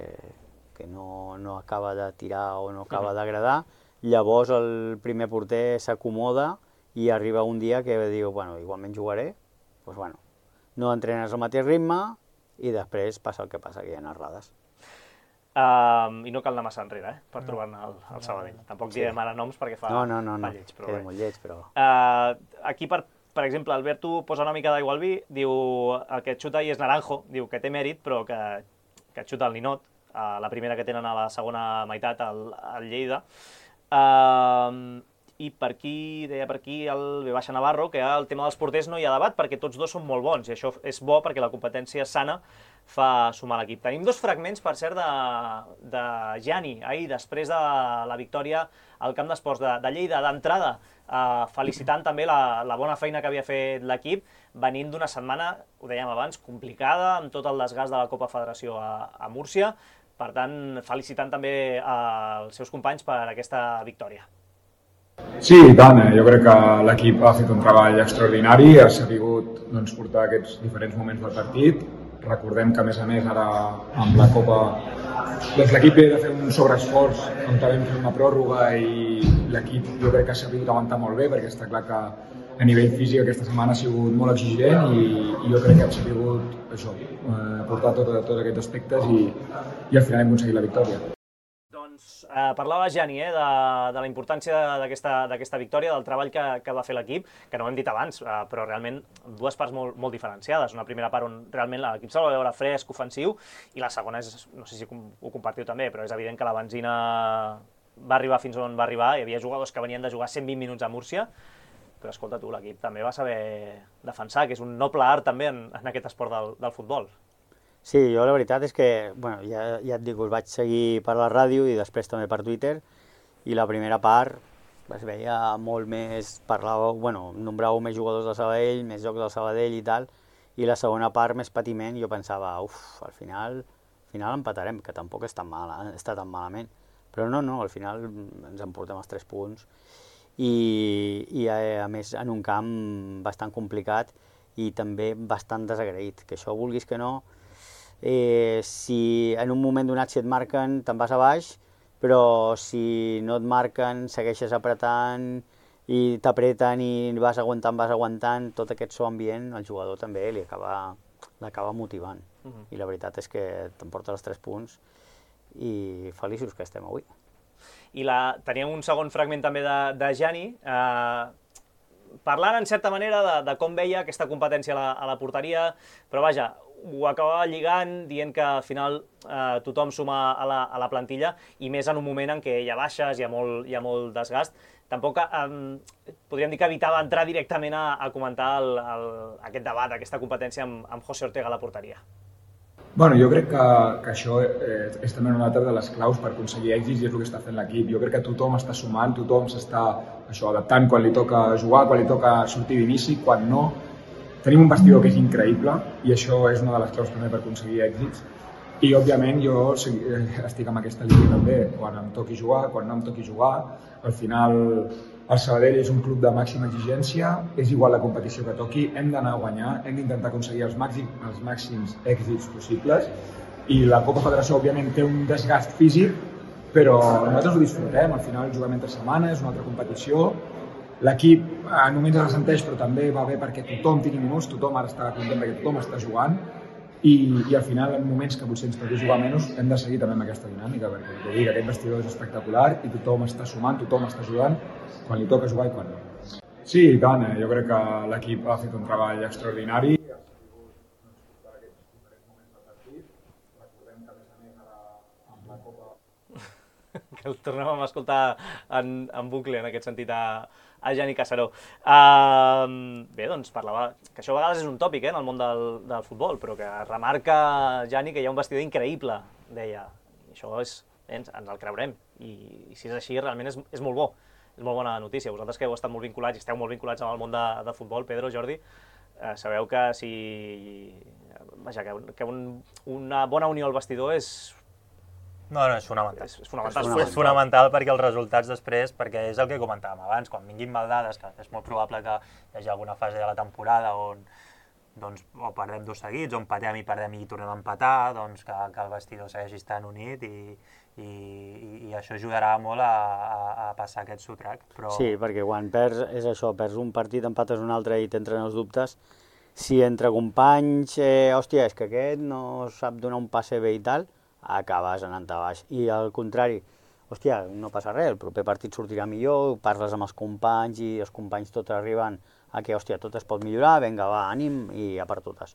que no, no acaba de tirar o no acaba d'agradar. Llavors el primer porter s'acomoda i arriba un dia que diu, bueno, igualment jugaré, doncs bueno, no entrenes al mateix ritme i després passa el que passa, que hi ha errades. Uh, I no cal anar massa enrere, eh, per no. trobar-ne al, al Sabadell. Tampoc sí. direm ara noms perquè fa, no, no, no, fa no. lleig, però queda bé. molt lleig, però... Uh, aquí, per, per exemple, Alberto posa una mica d'aigua al vi, diu el que xuta ahir és Naranjo, diu que té mèrit, però que, que xuta el ninot, uh, la primera que tenen a la segona meitat, al, al Lleida. Uh, I per aquí, deia per aquí el V Navarro, que el tema dels porters no hi ha debat perquè tots dos són molt bons i això és bo perquè la competència sana fa sumar l'equip. Tenim dos fragments, per cert, de, de Gianni, ahir, després de la victòria al camp d'esports de, de Lleida, d'entrada, eh, felicitant també la, la bona feina que havia fet l'equip, venint d'una setmana, ho dèiem abans, complicada, amb tot el desgast de la Copa Federació a, a Múrcia. Per tant, felicitant també els seus companys per aquesta victòria. Sí, i tant. Jo crec que l'equip ha fet un treball extraordinari, ha sabut doncs, portar aquests diferents moments del partit. Recordem que, a més a més, ara amb la Copa doncs, l'equip ha de fer un sobreesforç on vam fer una pròrroga i l'equip jo crec que ha sabut aguantar molt bé perquè està clar que a nivell físic aquesta setmana ha sigut molt exigent i, i jo crec que hem sabut això, eh, portar tots tot aquests aspectes i, i al final hem aconseguit la victòria. Doncs eh, parlava Gianni eh, de, de la importància d'aquesta victòria, del treball que, que va fer l'equip, que no ho hem dit abans, eh, però realment dues parts molt, molt diferenciades. Una primera part on realment l'equip se'l va veure fresc, ofensiu, i la segona és, no sé si ho compartiu també, però és evident que la benzina va arribar fins on va arribar. Hi havia jugadors que venien de jugar cent vint minuts a Múrcia, però escolta tu, l'equip també va saber defensar, que és un noble art també en, en aquest esport del, del futbol. Sí, jo la veritat és que, bueno, ja, ja et dic, us vaig seguir per la ràdio i després també per Twitter, i la primera part es veia molt més, parlàveu, bueno, nombràveu més jugadors del Sabadell, més jocs del Sabadell i tal, i la segona part més patiment, jo pensava, uf, al final, al final empatarem, que tampoc és tan mal, eh? està tan malament, però no, no, al final ens emportem els tres punts, i, i a, a més en un camp bastant complicat i també bastant desagraït, que això vulguis que no, eh, si en un moment donat si et marquen te'n vas a baix, però si no et marquen segueixes apretant i t'apreten i vas aguantant, vas aguantant, tot aquest so ambient al jugador també li acaba, l'acaba motivant. Uh-huh. I la veritat és que t'emporta els tres punts i feliços que estem avui. I la, teníem un segon fragment també de, de Gianni, eh, parlant en certa manera de, de com veia aquesta competència a la, a la porteria, però vaja, ho acabava lligant, dient que al final eh, tothom suma a la, a la plantilla, i més en un moment en què hi ha baixes, hi ha molt, hi ha molt desgast. Tampoc eh, podríem dir que evitava entrar directament a, a comentar el, el, aquest debat, aquesta competència amb, amb José Ortega a la porteria. Bueno, jo crec que, que això eh, és també una altra de les claus per aconseguir èxits i és el que està fent l'equip. Jo crec que tothom està sumant, tothom s'està adaptant quan li toca jugar, quan li toca sortir d'inici, quan no. Tenim un vestidor que és increïble i això és una de les claus també per aconseguir èxits. I, òbviament, jo estic amb aquesta línia també. Quan em toqui jugar, quan no em toqui jugar, al final el Sabadell és un club de màxima exigència, és igual la competició que toqui, hem d'anar a guanyar, hem d'intentar aconseguir els màxims, els màxims èxits possibles i la Copa Federació, òbviament, té un desgast físic, però nosaltres ho disfrutem, al final juguem entre setmanes, és una altra competició, l'equip en moments es ressenteix, però també va bé perquè tothom tingui minuts, tothom ara està content perquè tothom està jugant, i, i al final, en moments que potser ens toqui jugar menys, hem de seguir també amb aquesta dinàmica, perquè jo dic, aquest vestidor és espectacular i tothom està sumant, tothom està ajudant, quan li toca jugar i quan no. Sí, i tant, jo crec que l'equip ha fet un treball extraordinari. Ha sabut per aquests diferents moments del partit. Recordem que, a més a més, ara amb la Copa... Que el tornem a escoltar en, en bucle, en aquest sentit, a, a Gianni Casaró. Uh, bé, doncs parlava, que això a vegades és un tòpic eh, en el món del, del futbol, però que remarca Gianni que hi ha un vestidor increïble, deia. I això és, ens, ens el creurem, I, i si és així realment és, és molt bo. És molt bona notícia. Vosaltres que heu estat molt vinculats i esteu molt vinculats amb el món de, de futbol, Pedro, Jordi, eh, sabeu que si... Vaja, que, que un, una bona unió al vestidor és... No, no, és fonamental. És, és fonamental. És fonamental. És fonamental perquè els resultats després, perquè és el que comentàvem abans, quan vinguin maldades, que és molt probable que hi hagi alguna fase de la temporada on doncs o perdem dos seguits, o empatem i perdem i tornem a empatar, doncs que, que el vestidor segueixi estant unit i, i, i, i això ajudarà molt a, a, a passar aquest sotrac. Però... Sí, perquè quan perds, és això, perds un partit, empates un altre i t'entren els dubtes, si entre companys, eh, hòstia, és que aquest no sap donar un passe bé i tal, acabes anant a baix. I al contrari, hòstia, no passa res, el proper partit sortirà millor, parles amb els companys i els companys tots arriben a que, hòstia, tot es pot millorar, vinga, va, ànim, i a per totes.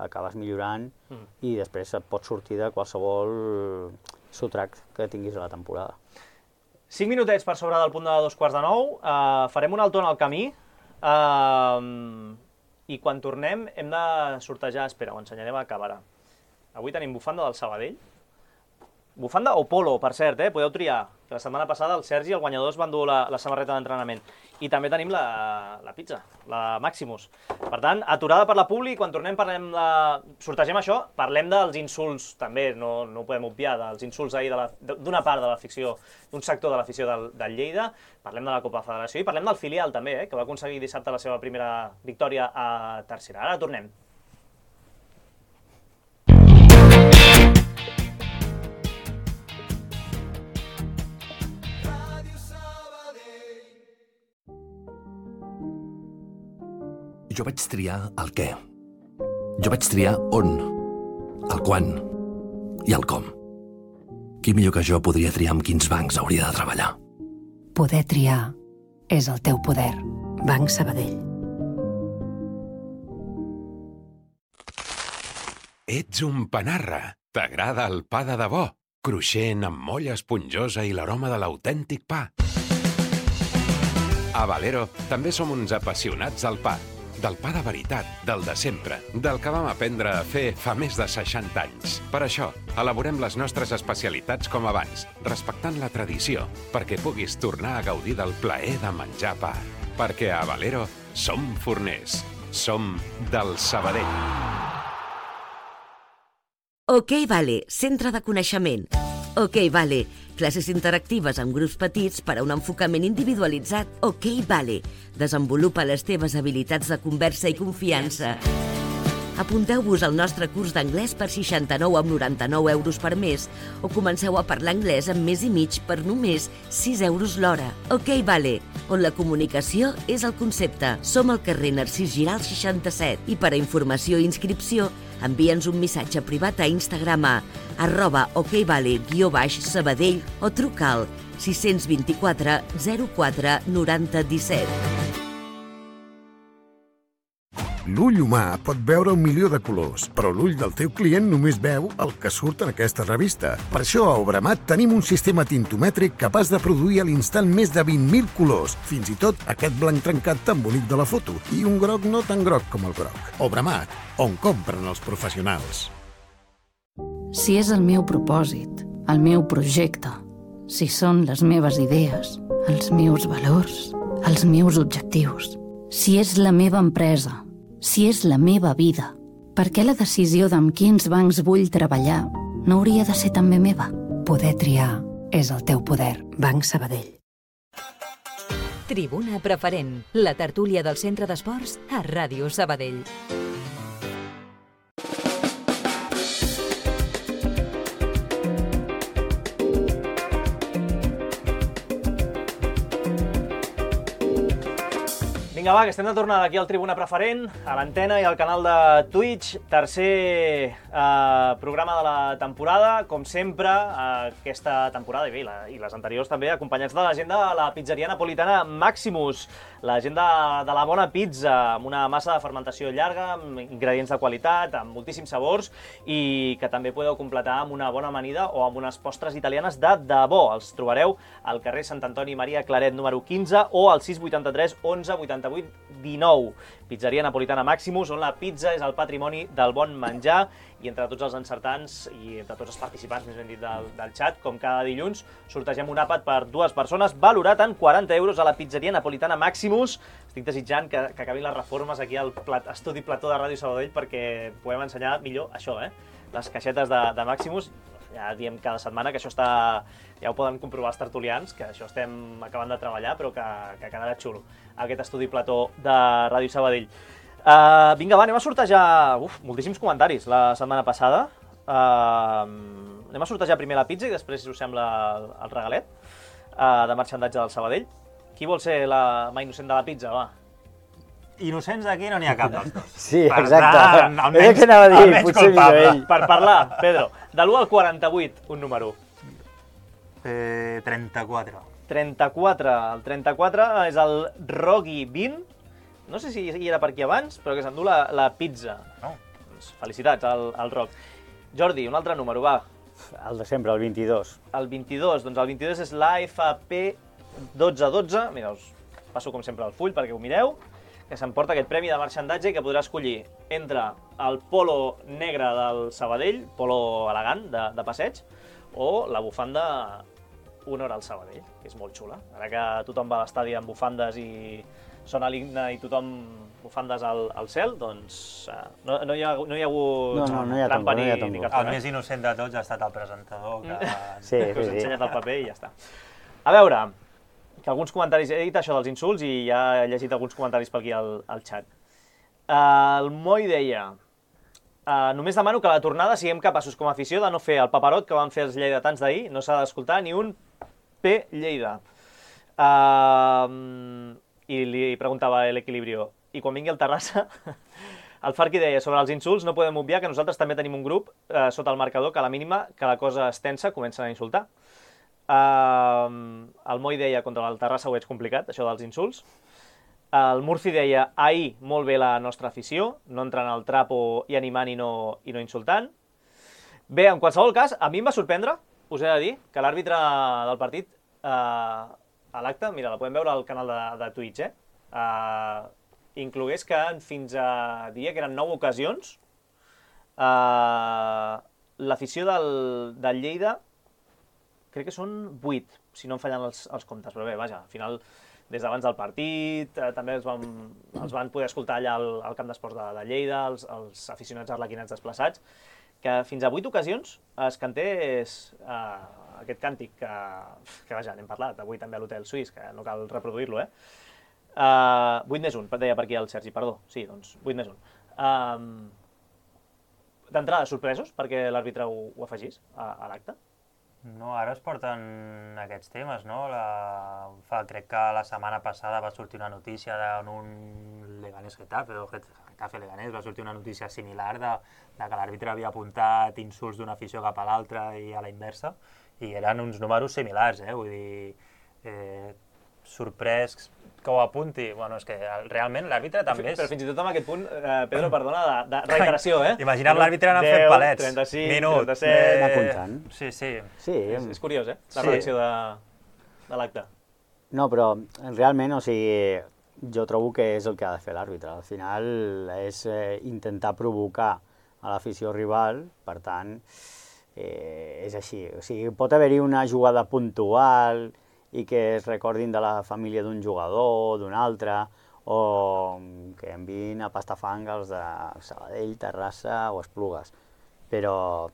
Acabes millorant mm. i després et pots sortir de qualsevol sotrac que tinguis a la temporada. Cinc minutets per sobre del punt de dos quarts de nou, uh, farem un alto en el camí, uh, i quan tornem hem de sortejar, espera, ho ensenyarem a càmera. Avui tenim bufanda del Sabadell, bufanda o polo, per cert, eh? Podeu triar. La setmana passada el Sergi i el guanyador es van dur la, la samarreta d'entrenament. I també tenim la, la pizza, la Maximus. Per tant, aturada per la publi, quan tornem parlem de... sortegem això, parlem dels insults, també, no, no ho podem obviar, dels insults ahir d'una part de l'afició, d'un sector de l'afició del, del Lleida, parlem de la Copa Federació i parlem del filial també, eh? Que va aconseguir dissabte la seva primera victòria a tercera. Ara tornem. Jo vaig triar el què. Jo vaig triar on, el quan i el com. Qui millor que jo podria triar amb quins bancs hauria de treballar? Poder triar és el teu poder. Banc Sabadell. Ets un panarra. T'agrada el pa de debò? Cruixent, amb molla esponjosa i l'aroma de l'autèntic pa. A Valero també som uns apassionats del pa. Del pa de veritat, del de sempre, del que vam aprendre a fer fa més de seixanta anys. Per això, elaborem les nostres especialitats com abans, respectant la tradició, perquè puguis tornar a gaudir del plaer de menjar pa. Perquè a Valero som forners, som del Sabadell. OK Vale, centre de coneixement. OK Vale, classes interactives amb grups petits per a un enfocament individualitzat. OK Vale, desenvolupa les teves habilitats de conversa i confiança. Apunteu-vos al nostre curs d'anglès per seixanta-nou amb noranta-nou euros per mes o comenceu a parlar anglès en mes i mig per només sis euros l'hora. OK Vale, on la comunicació és el concepte. Som al carrer Narcís Giral seixanta-set i per a informació i inscripció envia'ns un missatge privat a Instagram a arroba okvale guió baix Sabadell o truca al sis dos quatre zero quatre noranta disset. L'ull humà pot veure un milió de colors, però l'ull del teu client només veu el que surt en aquesta revista. Per això a Obramat tenim un sistema tintomètric capaç de produir a l'instant més de vint mil colors, fins i tot aquest blanc trencat tan bonic de la foto, i un groc no tan groc com el groc. Obramat, on compren els professionals. Si és el meu propòsit, el meu projecte, si són les meves idees, els meus valors, els meus objectius, si és la meva empresa, si és la meva vida, per què la decisió d'amb quins bancs vull treballar no hauria de ser també meva? Poder triar és el teu poder. Banc Sabadell. Tribuna Preferent, la tertúlia del Centre d'Esports a Ràdio Sabadell. Vinga, va, que estem de tornada aquí al Tribuna Preferent, a l'antena i al canal de Twitch. Tercer eh, programa de la temporada, com sempre, eh, aquesta temporada i bé, la, i les anteriors també, acompanyats de la gent de la pizzeria napolitana Maximus, la gent de, de la bona pizza, amb una massa de fermentació llarga, amb ingredients de qualitat, amb moltíssims sabors, i que també podeu completar amb una bona amanida o amb unes postres italianes de debò. Els trobareu al carrer Sant Antoni Maria Claret número quinze o al sis vuitanta-tres onze vuitanta-vuit dinou. Pizzeria napolitana Maximus, on la pizza és el patrimoni del bon menjar, i entre tots els encertants i entre tots els participants, més ben dit, del, del xat, com cada dilluns, sortegem un àpat per dues persones, valorat en quaranta euros a la pizzeria napolitana Maximus. Estic desitjant que, que acabin les reformes aquí al plat, estudi plató de Ràdio Sabadell perquè podem ensenyar millor això, eh? Les caixetes de, de Maximus. Ja diem cada setmana que això està... Ja ho poden comprovar els tertulians, que això estem acabant de treballar, però que, que quedarà xulo, aquest estudi plató de Ràdio Sabadell. Uh, vinga, va, anem a sortejar... Uf, moltíssims comentaris la setmana passada. Uh, anem a sortejar primer la pizza i després, si us sembla, el, el regalet uh, de marxandatge del Sabadell. Qui vol ser la mà innocent de la pizza, va? Innocents aquí no n'hi ha cap dels dos. Sí, exacte. És el que anava a dir, potser millor ell. Per parlar, Pedro, de l'u al quaranta-vuit, un número. Eh, trenta-quatre. trenta-quatre. El trenta-quatre és el Rogi vint. No sé si hi era per aquí abans, però que s'endú la, la pizza. No. Doncs felicitats al, al Roc. Jordi, un altre número, va. El de sempre, el vint-i-dos. El vint-i-dos, doncs el vint-i-dos és l'A F P dotze dotze. Mira, us passo com sempre el full perquè ho mireu, que s'emporta aquest premi de marxandatge i que podrà escollir entre el polo negre del Sabadell, polo elegant de, de passeig, o la bufanda Honor al Sabadell, que és molt xula. Ara que tothom va a l'estadi amb bufandes i sona l'himne i tothom bufandes al, al cel, doncs uh, no, no, hi ha, no hi ha hagut no, no, no hi ha trampa tampoc, ni, no hi ha ni tampoc. cartó. El més innocent de tots ha estat el presentador, que, sí, que us sí, ha sí. ensenyat el paper i ja està. A veure, que alguns comentaris... He dit això dels insults i ja he llegit alguns comentaris per aquí al, al xat. Uh, el Moi deia... Uh, només demano que a la tornada siguem capaços com a afició de no fer el paperot que van fer els lleidatans d'ahir. No s'ha d'escoltar ni un P Lleida. Uh, I li preguntava l'Equilibrio, i quan vingui el Terrassa, el Farqui deia, sobre els insults no podem obviar que nosaltres també tenim un grup eh, sota el marcador que a la mínima que la cosa es tensa comencen a insultar. Uh, el Moi deia, contra el Terrassa ho veig complicat, això dels insults. El Murci deia, ahir molt bé la nostra afició, no entrant al trapo i animant i no, i no insultant. Bé, en qualsevol cas, a mi em va sorprendre, us he de dir, que l'àrbitre del partit... Eh, a l'acte, mira, la podem veure al canal de, de Twitch, eh? Uh, inclogués que fins a, diria que eren nou ocasions, uh, l'afició del, del Lleida, crec que són vuit, si no em fallen els, els comptes, però bé, vaja, al final, des d'abans del partit, eh, també els van, els van poder escoltar allà al, al camp d'esports de, de Lleida, els, els aficionats arlequinats desplaçats, que fins a vuit ocasions es cantés uh, aquest càntic que, que vaja, n'hem parlat avui també a l'Hotel Suís, que no cal reproduir-lo, eh? Uh, vuit més un, deia per aquí el Sergi, perdó, sí, doncs vuit més un. Uh, D'entrada, sorpresos perquè l'àrbitre ho, ho afegís a, a l'acte? No, ara es porten aquests temes, no? La... Fa, crec que la setmana passada va sortir una notícia d'un Leganés Getafe, o Getafe Leganés, va sortir una notícia similar de, de que l'àrbitre havia apuntat insults d'una afició cap a l'altra i a la inversa, i eren uns números similars, eh? Vull dir, eh, sorprès que ho apunti. Bueno, és que realment l'àrbitre també és... Però fins i tot en aquest punt, eh, Pedro, perdona, de, de reiteració, eh? Imagina't l'àrbitre anant fent palets. trenta-sis, Minut. trenta-set... Anar comptant. Sí, sí. Sí. És, és curiós, eh? La Sí. redacció de, de l'acte. No, però realment, o sigui, jo trobo que és el que ha de fer l'àrbitre. Al final és eh, intentar provocar a l'afició rival, per tant, eh, és així. O sigui, pot haver-hi una jugada puntual i que es recordin de la família d'un jugador, d'un altre, o que enviïn a Pastafang els de Sabadell, Terrassa o Esplugues. Però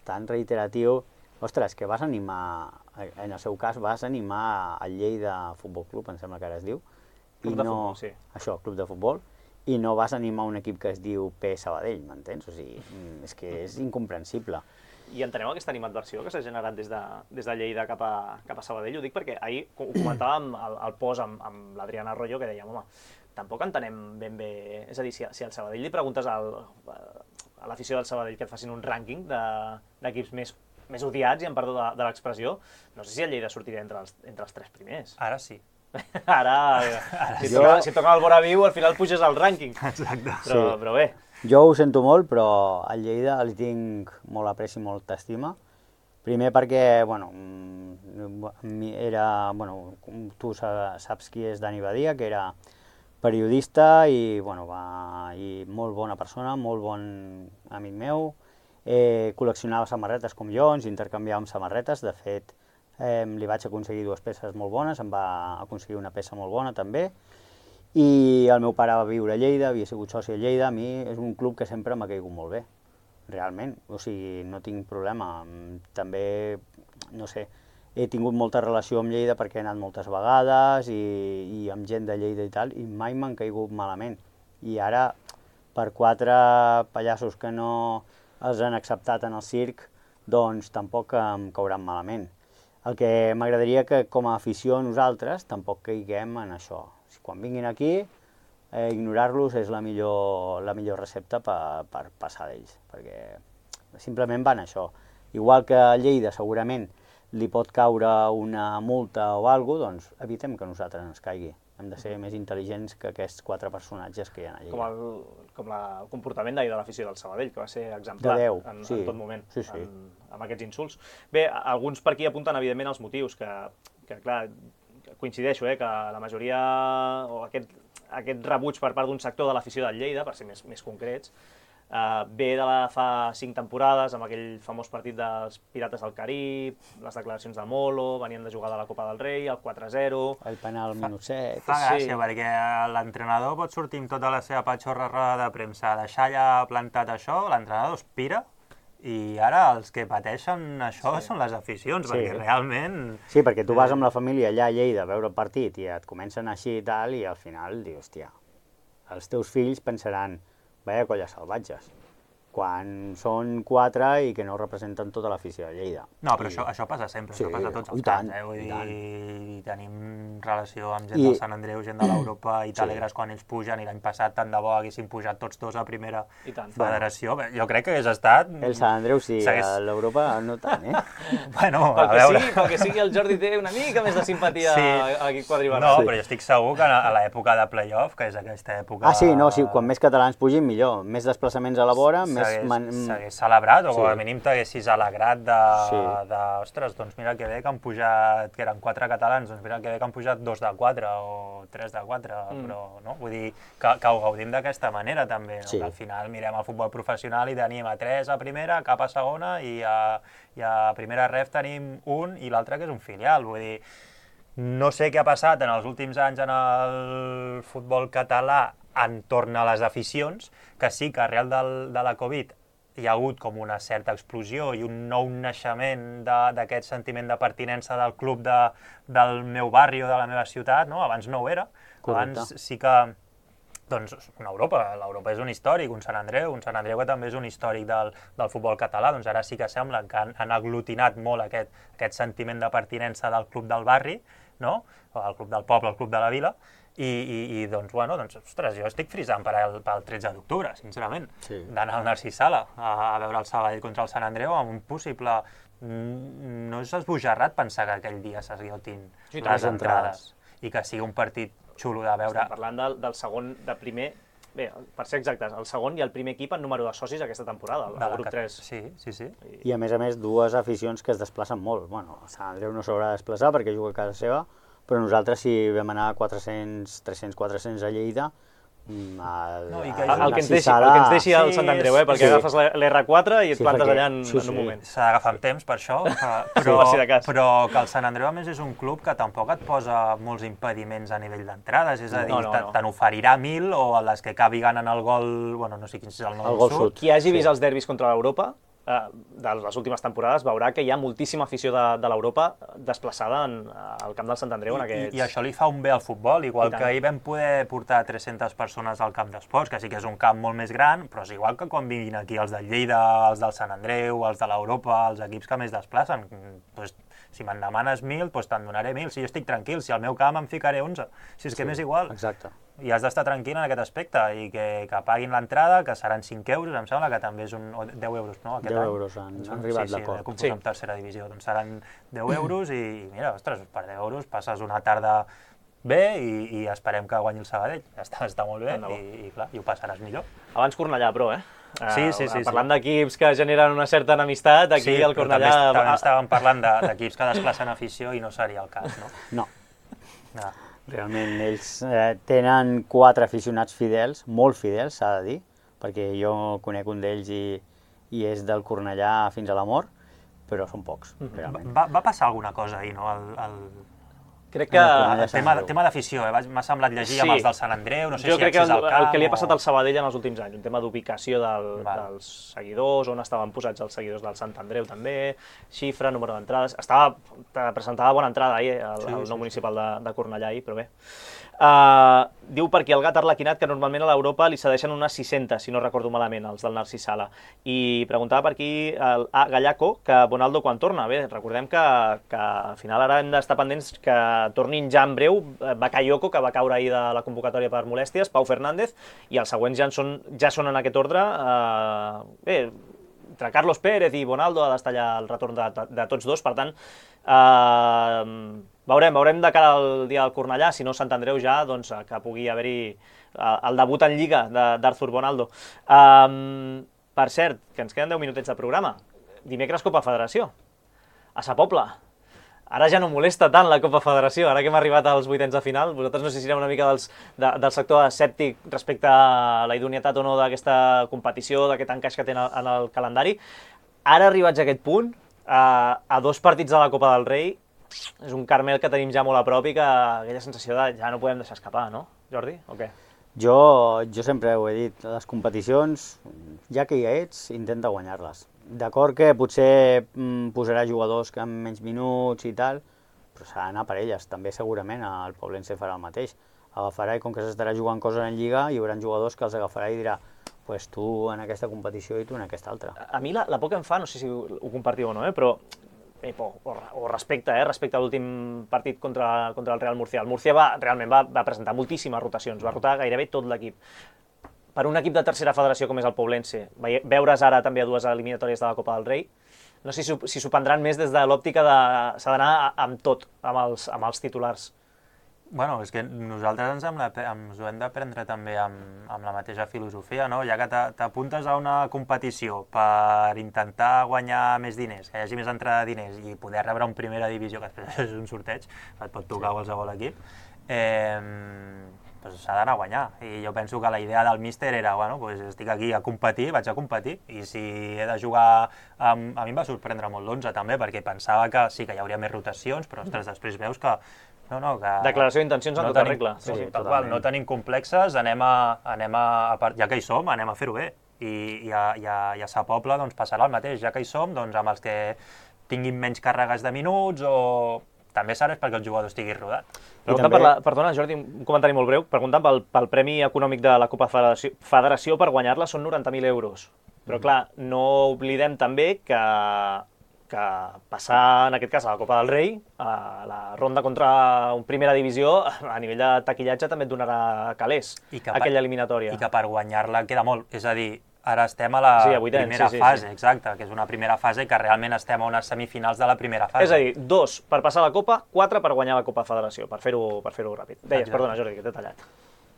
tan reiteratiu, ostres, que vas animar, en el seu cas vas animar el Lleida Futbol Club, em sembla que ara es diu, Club i de no, futbol, sí. Això, club de futbol, i no vas animar un equip que es diu P Sabadell, m'entens? O sigui, és que és incomprensible. I entenem aquesta animadversió que s'ha generat des de, des de Lleida cap a, cap a Sabadell? Ho dic perquè ahir ho comentàvem al, al post amb, amb l'Adriana Arroyo, que dèiem, home, tampoc entenem ben bé... És a dir, si, si al Sabadell li preguntes al, a l'afició del Sabadell que et facin un rànquing d'equips de, més, més odiats, i em perdó de, de l'expressió, no sé si el Lleida sortirà entre els, entre els tres primers. Ara sí. Ara, si, Jo... toca, si toca el Bora Viu, al final puges al rànquing. Exacte. Però, Sí. però bé. Jo ho sento molt, però al Lleida li tinc molt apreci, molta estima. Primer perquè, bueno, era, bueno, tu saps qui és Dani Badia, que era periodista i, bueno, va, i molt bona persona, molt bon amic meu. Eh, col·leccionava samarretes com jo, ens intercanviàvem samarretes. De fet, eh, li vaig aconseguir dues peces molt bones, em va aconseguir una peça molt bona també. I el meu pare va viure a Lleida, havia sigut soci a Lleida. A mi és un club que sempre m'ha caigut molt bé, realment. O sigui, no tinc problema. També, no sé, he tingut molta relació amb Lleida perquè he anat moltes vegades i, i amb gent de Lleida i tal, i mai m'han caigut malament. I ara per quatre pallassos que no els han acceptat en el circ, doncs tampoc em cauran malament. El que m'agradaria que com a afició nosaltres tampoc caiguem en això. Quan vinguin aquí, eh, ignorar-los és la millor, la millor recepta per, per passar d'ells, perquè simplement van això. Igual que a Lleida segurament li pot caure una multa o alguna cosa, doncs evitem que nosaltres ens caigui. Hem de ser més intel·ligents que aquests quatre personatges que hi ha a Lleida. Com el, com la, el comportament d'ahir de l'afició del Sabadell, que va ser exemplar de Déu, en, sí. en tot moment, sí, sí. En, amb aquests insults. Bé, alguns per aquí apunten evidentment els motius, que, que clar, coincideixo, eh, que la majoria, o aquest, aquest rebuig per part d'un sector de l'afició del Lleida, per ser més, més concrets, Uh, ve de la fa cinc temporades, amb aquell famós partit dels Pirates del Carib, les declaracions de Molo, venien de jugar de la Copa del Rei, el quatre zero... El penal al minut set... Fa gràcia, sí. Perquè l'entrenador pot sortir amb tota la seva patxorra roda de premsa, deixar allà plantat això, l'entrenador es pira, i ara els que pateixen això sí. Són les aficions, sí. Perquè realment... Sí, perquè tu vas amb la família allà a Lleida a veure el partit i et comencen així i tal, i al final dius, hòstia, els teus fills pensaran... Vaya colles salvatges, quan són quatre i que no representen tota l'afició de Lleida. No, però I... això, això passa sempre, sí, això passa a tots els tant, camps, eh? Vull dir, tenim relació amb gent I... del Sant Andreu, gent de l'Europa, i t'alegres sí. Quan ells pugen, i l'any passat tant de bo haguessin pujat tots dos a primera federació. Bueno. Jo crec que hagués estat... El Sant Andreu sí, Segueix... a l'Europa no tant, eh? Bueno, pel a que veure... Sí, pel que sigui, el Jordi té una mica més de simpatia sí. A l'equip quadribarrat. No, sí. Però jo estic segur que a l'època de play-off, que és aquesta època... Ah, sí, no, sí, quan més catalans pugin, millor. Més desplaçaments a la vora, més... Man... S'hagués celebrat, o sí. Com a mínim t'haguessis alegrat de, sí. de... Ostres, doncs mira que bé que han pujat, que eren quatre catalans, doncs mira que bé que han pujat dos de quatre o tres de quatre, mm. Però no, vull dir que, que ho gaudim d'aquesta manera també, no? Sí. Que al final mirem el futbol professional i tenim a tres a primera, cap a segona, i a, i a primera ref tenim un i l'altre que és un filial, vull dir, no sé què ha passat en els últims anys en el futbol català entorn a les aficions, que sí que arrel del, de la Covid hi ha hagut com una certa explosió i un nou naixement d'aquest sentiment de pertinença del club de, del meu barri o de la meva ciutat, no? Abans no ho era. Correcte. Abans sí que, doncs, una Europa, l'Europa és un històric, un Sant Andreu, un Sant Andreu que també és un històric del, del futbol català, doncs ara sí que sembla que han, han aglutinat molt aquest, aquest sentiment de pertinença del club del barri, no? El club del poble, el club de la vila, I, i, i doncs, bueno, doncs, ostres, jo estic frisant per al, pel tretze d'octubre, sincerament, sí. D'anar al Narcís Sala a, a veure el Sabadell contra el Sant Andreu amb un possible... No és esbojarrat pensar que aquell dia s'esgotin sí, les entrades i que sigui un partit xulo de veure... Estem parlant del, del segon, de primer... Bé, per ser exactes, el segon i el primer equip en número de socis aquesta temporada, el, el grup tres. Sí, sí, sí. I... I a més a més dues aficions que es desplacen molt. Bueno, el Sant Andreu no s'haurà de desplaçar perquè juga a casa seva, però nosaltres si vam anar a quatre-cents, tres-cents, quatre-cents a Lleida, el, no, i que el, el, que ens deixi, el que ens deixi el sí, Sant Andreu, eh? Perquè sí. Agafes l'R quatre i et sí, plantes allà en, sí, sí. en un moment. S'ha d'agafar amb temps per això, però, sí, si però que el Sant Andreu a més és un club que tampoc et posa molts impediments a nivell d'entrades, és a dir, no, no, no. Te n'oferirà mil o a les que acabi ganant el gol, bueno, no sé quin és el nom el del sud. Qui hagi vist sí. Els derbis contra l'Europa, Uh, de les últimes temporades veurà que hi ha moltíssima afició de, de l'Europa desplaçada en, al camp del Sant Andreu. En aquests... I, I això li fa un bé al futbol, igual que ahir vam poder portar tres-centes persones al camp d'esports, que sí que és un camp molt més gran, però és igual que quan vinguin aquí els del Lleida, els del Sant Andreu, els de l'Europa, els equips que més desplacen. Pues, si me'n demanes mil, doncs te'n donaré mil. Si jo estic tranquil, si al meu camp em ficaré onze. Si és que sí, m'és igual. Exacte. I has d'estar tranquil en aquest aspecte i que, que paguin l'entrada, que seran cinc euros, em sembla que també és un... o deu euros, no? Aquest deu any. Euros han, han arribat sí, d'acord. Sí, sí, amb tercera divisió, doncs seran deu euros i, mira, ostres, per deu euros passes una tarda bé i, i esperem que guanyi el Sabadell. Està, està molt bé i, i, clar, i ho passaràs millor. Abans Cornellà, però, eh? Sí, sí, sí. Parlant sí. d'equips que generen una certa enemistat, aquí sí, el Cornellà... Sí, però també estàvem parlant d'equips que desplacen afició i no seria el cas, no? No. no. Realment, ells eh, tenen quatre aficionats fidels, molt fidels, s'ha de dir, perquè jo conec un d'ells i, i és del Cornellà fins a la mort, però són pocs, realment. Va, va passar alguna cosa ahir, no? El, el... Crec que... El tema, tema d'afició, eh? M'ha semblat llegir sí. amb els del Sant Andreu, no sé jo si accés al camp... el que li ha passat al Sabadell en els últims anys, un tema d'ubicació del, dels seguidors, on estaven posats els seguidors del Sant Andreu també, xifra, número d'entrades... Estava, presentava bona entrada ahir el, sí, el nou sí, municipal de, de Cornellà ahir, però bé. Uh, diu per aquí el gat arlequinat que normalment a l'Europa li cedeixen unes sis-centes, si no recordo malament, els del Narcís Sala. I preguntava per aquí el A. Gallaco que Bonaldo quan torna. Bé, recordem que, que al final ara hem d'estar pendents que tornin ja en breu Bakayoko, que va caure ahir de la convocatòria per molèsties, Pau Fernández, i els següents ja són, ja són en aquest ordre. Uh, bé, entre Carlos Pérez i Bonaldo ha d'estar allà el retorn de, de, de tots dos, per tant, uh, Veurem, veurem de cara al dia del Cornellà, si no Sant Andreu ja, doncs, que pugui haver-hi el debut en Lliga d'Arthur Bonaldo. Um, per cert, que ens queden deu minutets de programa. Dimecres Copa Federació, a Sa Pobla. Ara ja no molesta tant la Copa Federació, ara que hem arribat als vuitens de final. Vosaltres no sé si sereu una mica dels, de, del sector escèptic respecte a la idoneïtat o no d'aquesta competició, d'aquest encaix que té en el, en el calendari. Ara arribats a aquest punt, a, a dos partits de la Copa del Rei, és un Carmel que tenim ja molt a prop i que aquella sensació de ja no podem deixar escapar, no, Jordi? O què? Jo, jo sempre ho he dit, les competicions, ja que hi ets, intenta guanyar-les. D'acord que potser mm, posarà jugadors que amb menys minuts i tal, però s'ha d'anar per elles. També segurament el Poblense farà el mateix. Agafarà i com que s'estarà jugant coses en Lliga, hi haurà jugadors que els agafarà i dirà pues tu en aquesta competició i tu en aquesta altra. A mi la, la por que em fa, no sé si ho, ho compartiu o no, eh, però O, o respecte, eh, respecte a l'últim partit contra, contra el Real Murcia. El Murcia va, realment va, va presentar moltíssimes rotacions, va rotar gairebé tot l'equip. Per un equip de tercera federació com és el Poblense, veure's ara també a dues eliminatòries de la Copa del Rei, no sé si, si s'ho prendran més des de l'òptica de s'ha d'anar amb tot, amb els, amb els titulars. Bueno, és que nosaltres ens, hem, ens ho hem de prendre també amb, amb la mateixa filosofia, no? Ja que t'apuntes a una competició per intentar guanyar més diners, que hi hagi més entrada de diners i poder rebre un primera divisió, que després és un sorteig, et pot tocar sí. qualsevol equip, eh, doncs s'ha d'anar a guanyar. I jo penso que la idea del míster era, bueno, doncs estic aquí a competir, vaig a competir, i si he de jugar... Amb... A mi em va sorprendre molt l'onze també, perquè pensava que sí que hi hauria més rotacions, però ostres, després veus que No, no, que... Declaració d'intencions en no tota regla. Sí, sí, tal qual, no tenim complexes, anem a, anem a, ja que hi som, anem a fer-ho bé. I, i, a, i, a, i a Sa Pobla doncs, passarà el mateix, ja que hi som, doncs, amb els que tinguin menys càrregues de minuts o... També serà perquè el jugador estigui rodat. Pregunta també... per la, perdona, Jordi, un comentari molt breu. Preguntant pel, pel premi econòmic de la Copa Federació, Federació per guanyar-la són noranta mil euros. Però clar, no oblidem també que... que passar, en aquest cas, a la Copa del Rei, a la ronda contra un primera divisió, a nivell de taquillatge també et donarà calés, aquella eliminatòria. I que per guanyar-la queda molt, és a dir, ara estem a la sí, a vuitens, primera sí, sí, fase, sí. exacte, que és una primera fase que realment estem a unes semifinals de la primera fase. És a dir, dos per passar la Copa, quatre per guanyar la Copa Federació, per fer-ho per fer-ho ràpid. Deies, exacte. Perdona, Jordi, que t'he tallat.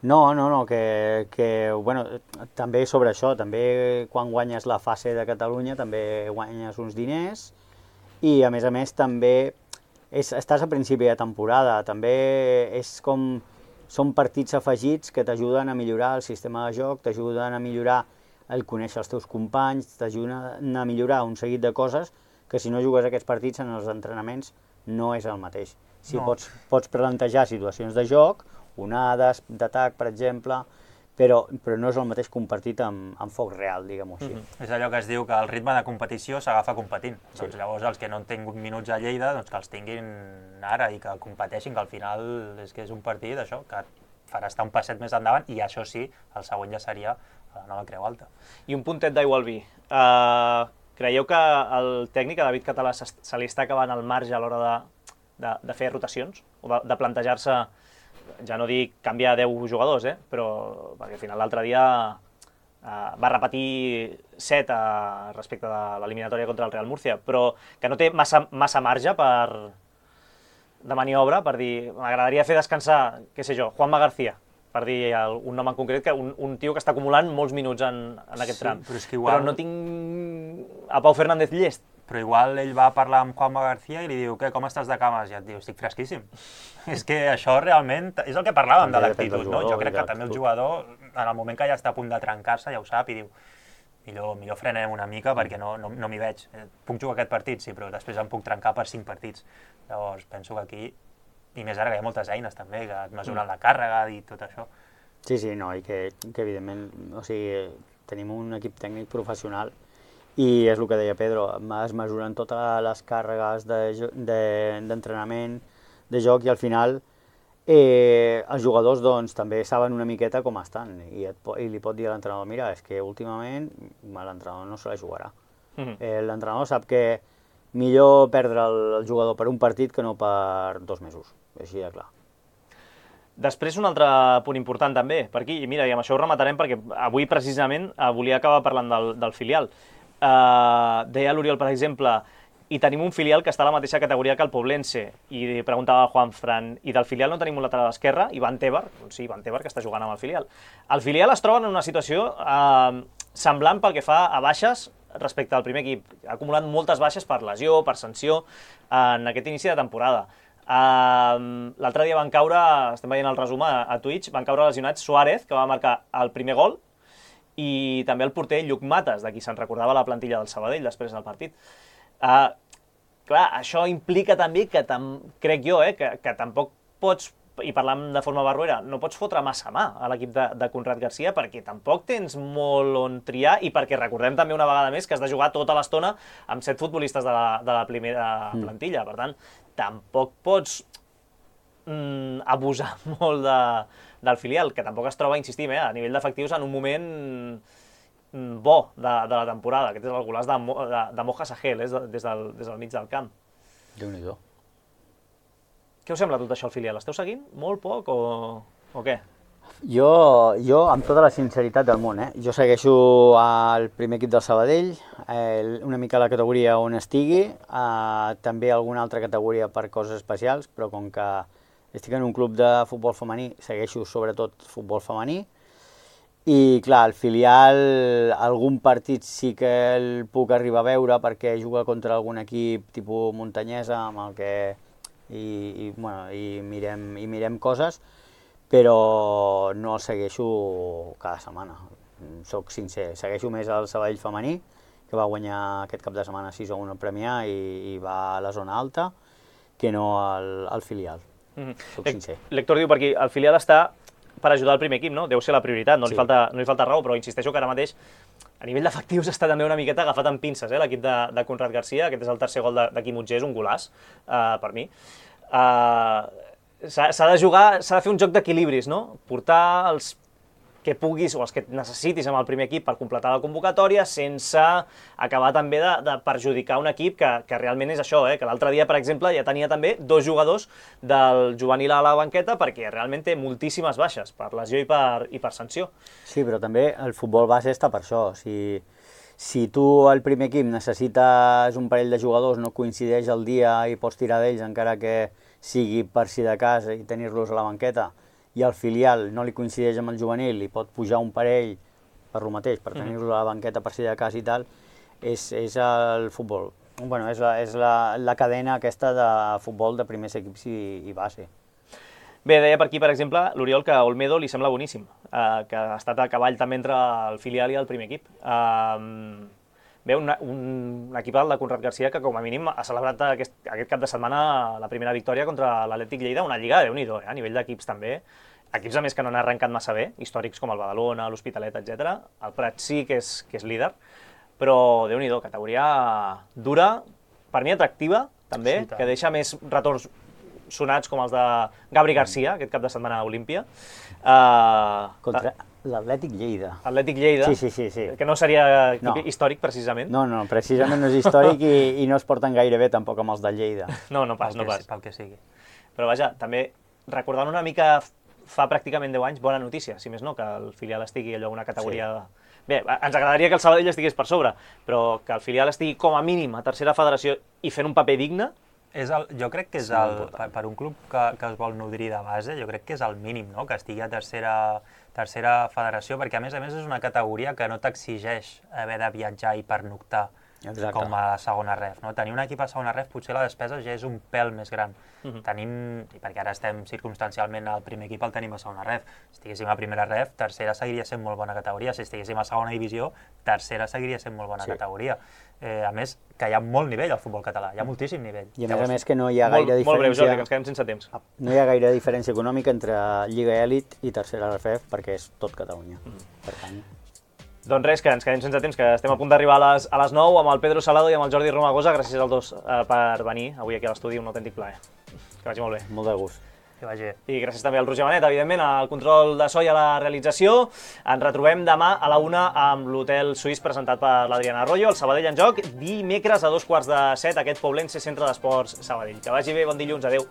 No, no, no, que, que bueno, també sobre això, també quan guanyes la fase de Catalunya també guanyes uns diners, i a més a més també és, estàs a principi de temporada, també és com, són partits afegits que t'ajuden a millorar el sistema de joc, t'ajuden a millorar el conèixer els teus companys, t'ajuden a millorar un seguit de coses que si no jugues aquests partits en els entrenaments no és el mateix. Si no. pots, pots plantejar situacions de joc, onades d'atac, per exemple, però, però no és el mateix compartit amb, amb foc real, diguem-ho així. Mm-hmm. És allò que es diu que el ritme de competició s'agafa competint. Sí. Doncs llavors els que no han tingut minuts a Lleida, doncs que els tinguin ara i que competeixin, que al final és que és un partit, això, que farà estar un passet més endavant i això sí, el següent ja seria la nova Creu Alta. I un puntet d'aigua al vi. Uh, creieu que el tècnic, David Català, se li està acabant el marge a l'hora de, de, de fer rotacions? O de, de plantejar-se, ja no dic canviar deu jugadors, eh? Però perquè al final l'altre dia eh, va repetir set eh, respecte de l'eliminatòria contra el Real Murcia, però que no té massa, massa marge per, de maniobra per dir, m'agradaria fer descansar, què sé jo, Juanma García, per dir un nom en concret, que un, un tio que està acumulant molts minuts en, en aquest sí, tram. Però, és que igual... però no tinc a Pau Fernández llest. Però igual ell va parlar amb Juanma García i li diu, què, com estàs de cames? I et diu, estic fresquíssim. És que això realment és el que parlàvem de l'actitud, no? Jo crec que també el jugador, en el moment que ja està a punt de trencar-se, ja ho sap, i diu, millor, millor frenem una mica perquè no, no, no m'hi veig. Puc jugar aquest partit, sí, però després em puc trencar per cinc partits. Llavors, penso que aquí i més ara que hi ha moltes eines també, que et mesuren la càrrega i tot això. Sí, sí, no, i que, que evidentment, o sigui, tenim un equip tècnic professional i és el que deia Pedro, es mesuren totes les càrregues d'entrenament, de, de, de joc i al final eh, els jugadors doncs, també saben una miqueta com estan i, et, i li pot dir a l'entrenador, mira, és que últimament l'entrenador no se la jugarà. Mm-hmm. eh, l'entrenador sap que millor perdre el, el jugador per un partit que no per dos mesos, així de clar. Després, un altre punt important també, per aquí, i mira, i amb això ho rematarem perquè avui precisament eh, volia acabar parlant del, del filial. Eh, deia l'Oriol, per exemple, i tenim un filial que està a la mateixa categoria que el Poblense, i preguntava Juan Fran, i del filial no tenim un lateral esquerre, Ivan Tebar, doncs sí, Ivan Tebar, que està jugant amb el filial. El filial es troba en una situació eh, semblant pel que fa a baixes respecte al primer equip. Ha acumulat moltes baixes per lesió, per sanció, en aquest inici de temporada. Uh, L'altre dia van caure, estem veient el resum a, a Twitch, van caure lesionats Suárez, que va marcar el primer gol, i també el porter Lluc Mates, de qui se'n recordava la plantilla del Sabadell després del partit. Uh, clar, això implica també que, tam, crec jo, eh, que, que tampoc pots, i parlant de forma barruera, no pots fotre massa mà a l'equip de, de Conrad Garcia perquè tampoc tens molt on triar i perquè recordem també una vegada més que has de jugar tota l'estona amb set futbolistes de la, de la primera plantilla. Per tant, tampoc pots mm, abusar molt de, del filial, que tampoc es troba, insistim, eh, a nivell d'efectius en un moment mm, bo de, de la temporada. Aquest és el golaç de, de, de Moja Sahel, eh, des, del, des del mig del camp. Déu-n'hi-do. Què us sembla tot això, el filial? Esteu seguint? Molt poc o, o què? Jo, jo, amb tota la sinceritat del món, eh? Jo segueixo el primer equip del Sabadell, eh, una mica la categoria on estigui, eh, també alguna altra categoria per coses especials, però com que estic en un club de futbol femení, segueixo sobretot futbol femení, i clar, el filial, algun partit sí que el puc arribar a veure perquè juga contra algun equip tipus muntanyesa amb el que i, i, bueno, i, mirem, i mirem coses, però no el segueixo cada setmana, soc sincer. Segueixo més el Sabadell femení, que va guanyar aquest cap de setmana sis a un al Premià i, i va a la zona alta, que no al, al filial, mm-hmm. Soc sincer. L'Héctor diu per aquí, el filial està per ajudar el primer equip, no? Deu ser la prioritat, no, sí. li falta, no li falta raó, però insisteixo que ara mateix a nivell d'efectius està també una miqueta agafat amb pinces, eh, l'equip de, de Conrad Garcia. Aquest és el tercer gol de, de Quim Utger, és un golaç, uh, per mi. Uh, s'ha de jugar, s'ha de fer un joc d'equilibris, no? Portar els que puguis o els que necessitis amb el primer equip per completar la convocatòria sense acabar també de, de perjudicar un equip que, que realment és això, eh? Que l'altre dia, per exemple, ja tenia també dos jugadors del juvenil a la banqueta perquè realment té moltíssimes baixes per lesió i per, i per sanció. Sí, però també el futbol base està per això. Si, si tu al primer equip necessites un parell de jugadors, no coincideix el dia i pots tirar d'ells encara que sigui per si de cas i tenir-los a la banqueta, i el filial no li coincideix amb el juvenil i pot pujar un parell per lo mateix, per tenir-lo a la banqueta per si de cas i tal, és, és el futbol. Bueno, és la, és la, la cadena aquesta de futbol de primers equips i, i base. Bé, deia per aquí, per exemple, l'Oriol que Olmedo li sembla boníssim, eh, que ha estat a cavall també entre el filial i el primer equip. Eh, bé, un, un equip de Conrad Garcia que com a mínim ha celebrat aquest, aquest cap de setmana la primera victòria contra l'Atlètic Lleida, una lliga de Déu-n'hi-do, eh, a nivell d'equips també. Equips a més que no han arrencat massa bé, històrics com el Badalona, l'Hospitalet, etcètera. El Prat sí que és, que és líder, però Déu-n'hi-do, categoria dura, per mi atractiva també, sí, que deixa més retorns sonats com els de Gabri Garcia, aquest cap de setmana a Olímpia. Uh, Contra l'Atlètic Lleida. Atlètic Lleida, sí, sí, sí, sí. Que no seria no. històric precisament. No, no, precisament no és històric i, i no es porten gaire bé tampoc amb els de Lleida. No, no pas, no pas. Pel que sigui. Però vaja, també recordant una mica fa pràcticament deu anys, bona notícia, si més no, que el filial estigui allò una categoria... Sí. Bé, ens agradaria que el Sabadell estigués per sobre, però que el filial estigui com a mínim a tercera federació i fent un paper digne... És el, jo crec que és el, per, per un club que, que es vol nodrir de base, jo crec que és el mínim, no?, que estigui a tercera, tercera federació, perquè a més a més és una categoria que no t'exigeix haver de viatjar i pernoctar. Exacte. Com a la segona ref, no? Tenir un equip a segona ref potser la despesa ja és un pèl més gran. Uh-huh. Tenim, i perquè ara estem circumstancialment al primer equip el tenim a segona ref, si estiguéssim a primera ref, tercera seguiria sent molt bona categoria, si estiguéssim a segona divisió, tercera seguiria sent molt bona sí. categoria. Eh, a més, que hi ha molt nivell al futbol català, hi ha moltíssim nivell. I a més a més que no hi ha gaire molt, diferència... Molt breu, Jordi, que ens quedem sense temps. No hi ha gaire diferència econòmica entre Lliga Elit i Tercera R F E perquè és tot Catalunya. Mm. Per tant... Doncs res, que ens quedem sense temps, que estem a punt d'arribar a les, a les nou amb el Pedro Salado i amb el Jordi Romagosa. Gràcies als dos eh, per venir avui aquí a l'estudi, un autèntic plaer. Que vagi molt bé. Molt de gust. Que vagi. I gràcies també al Roger Benet, evidentment, al control de so i a la realització. Ens retrobem demà a la una amb l'Hotel Suís presentat per l'Adriana Arroyo, el Sabadell en joc, dimecres a dos quarts de set, aquest Poblense Centre d'Esports Sabadell. Que vagi bé, bon dilluns, adeu.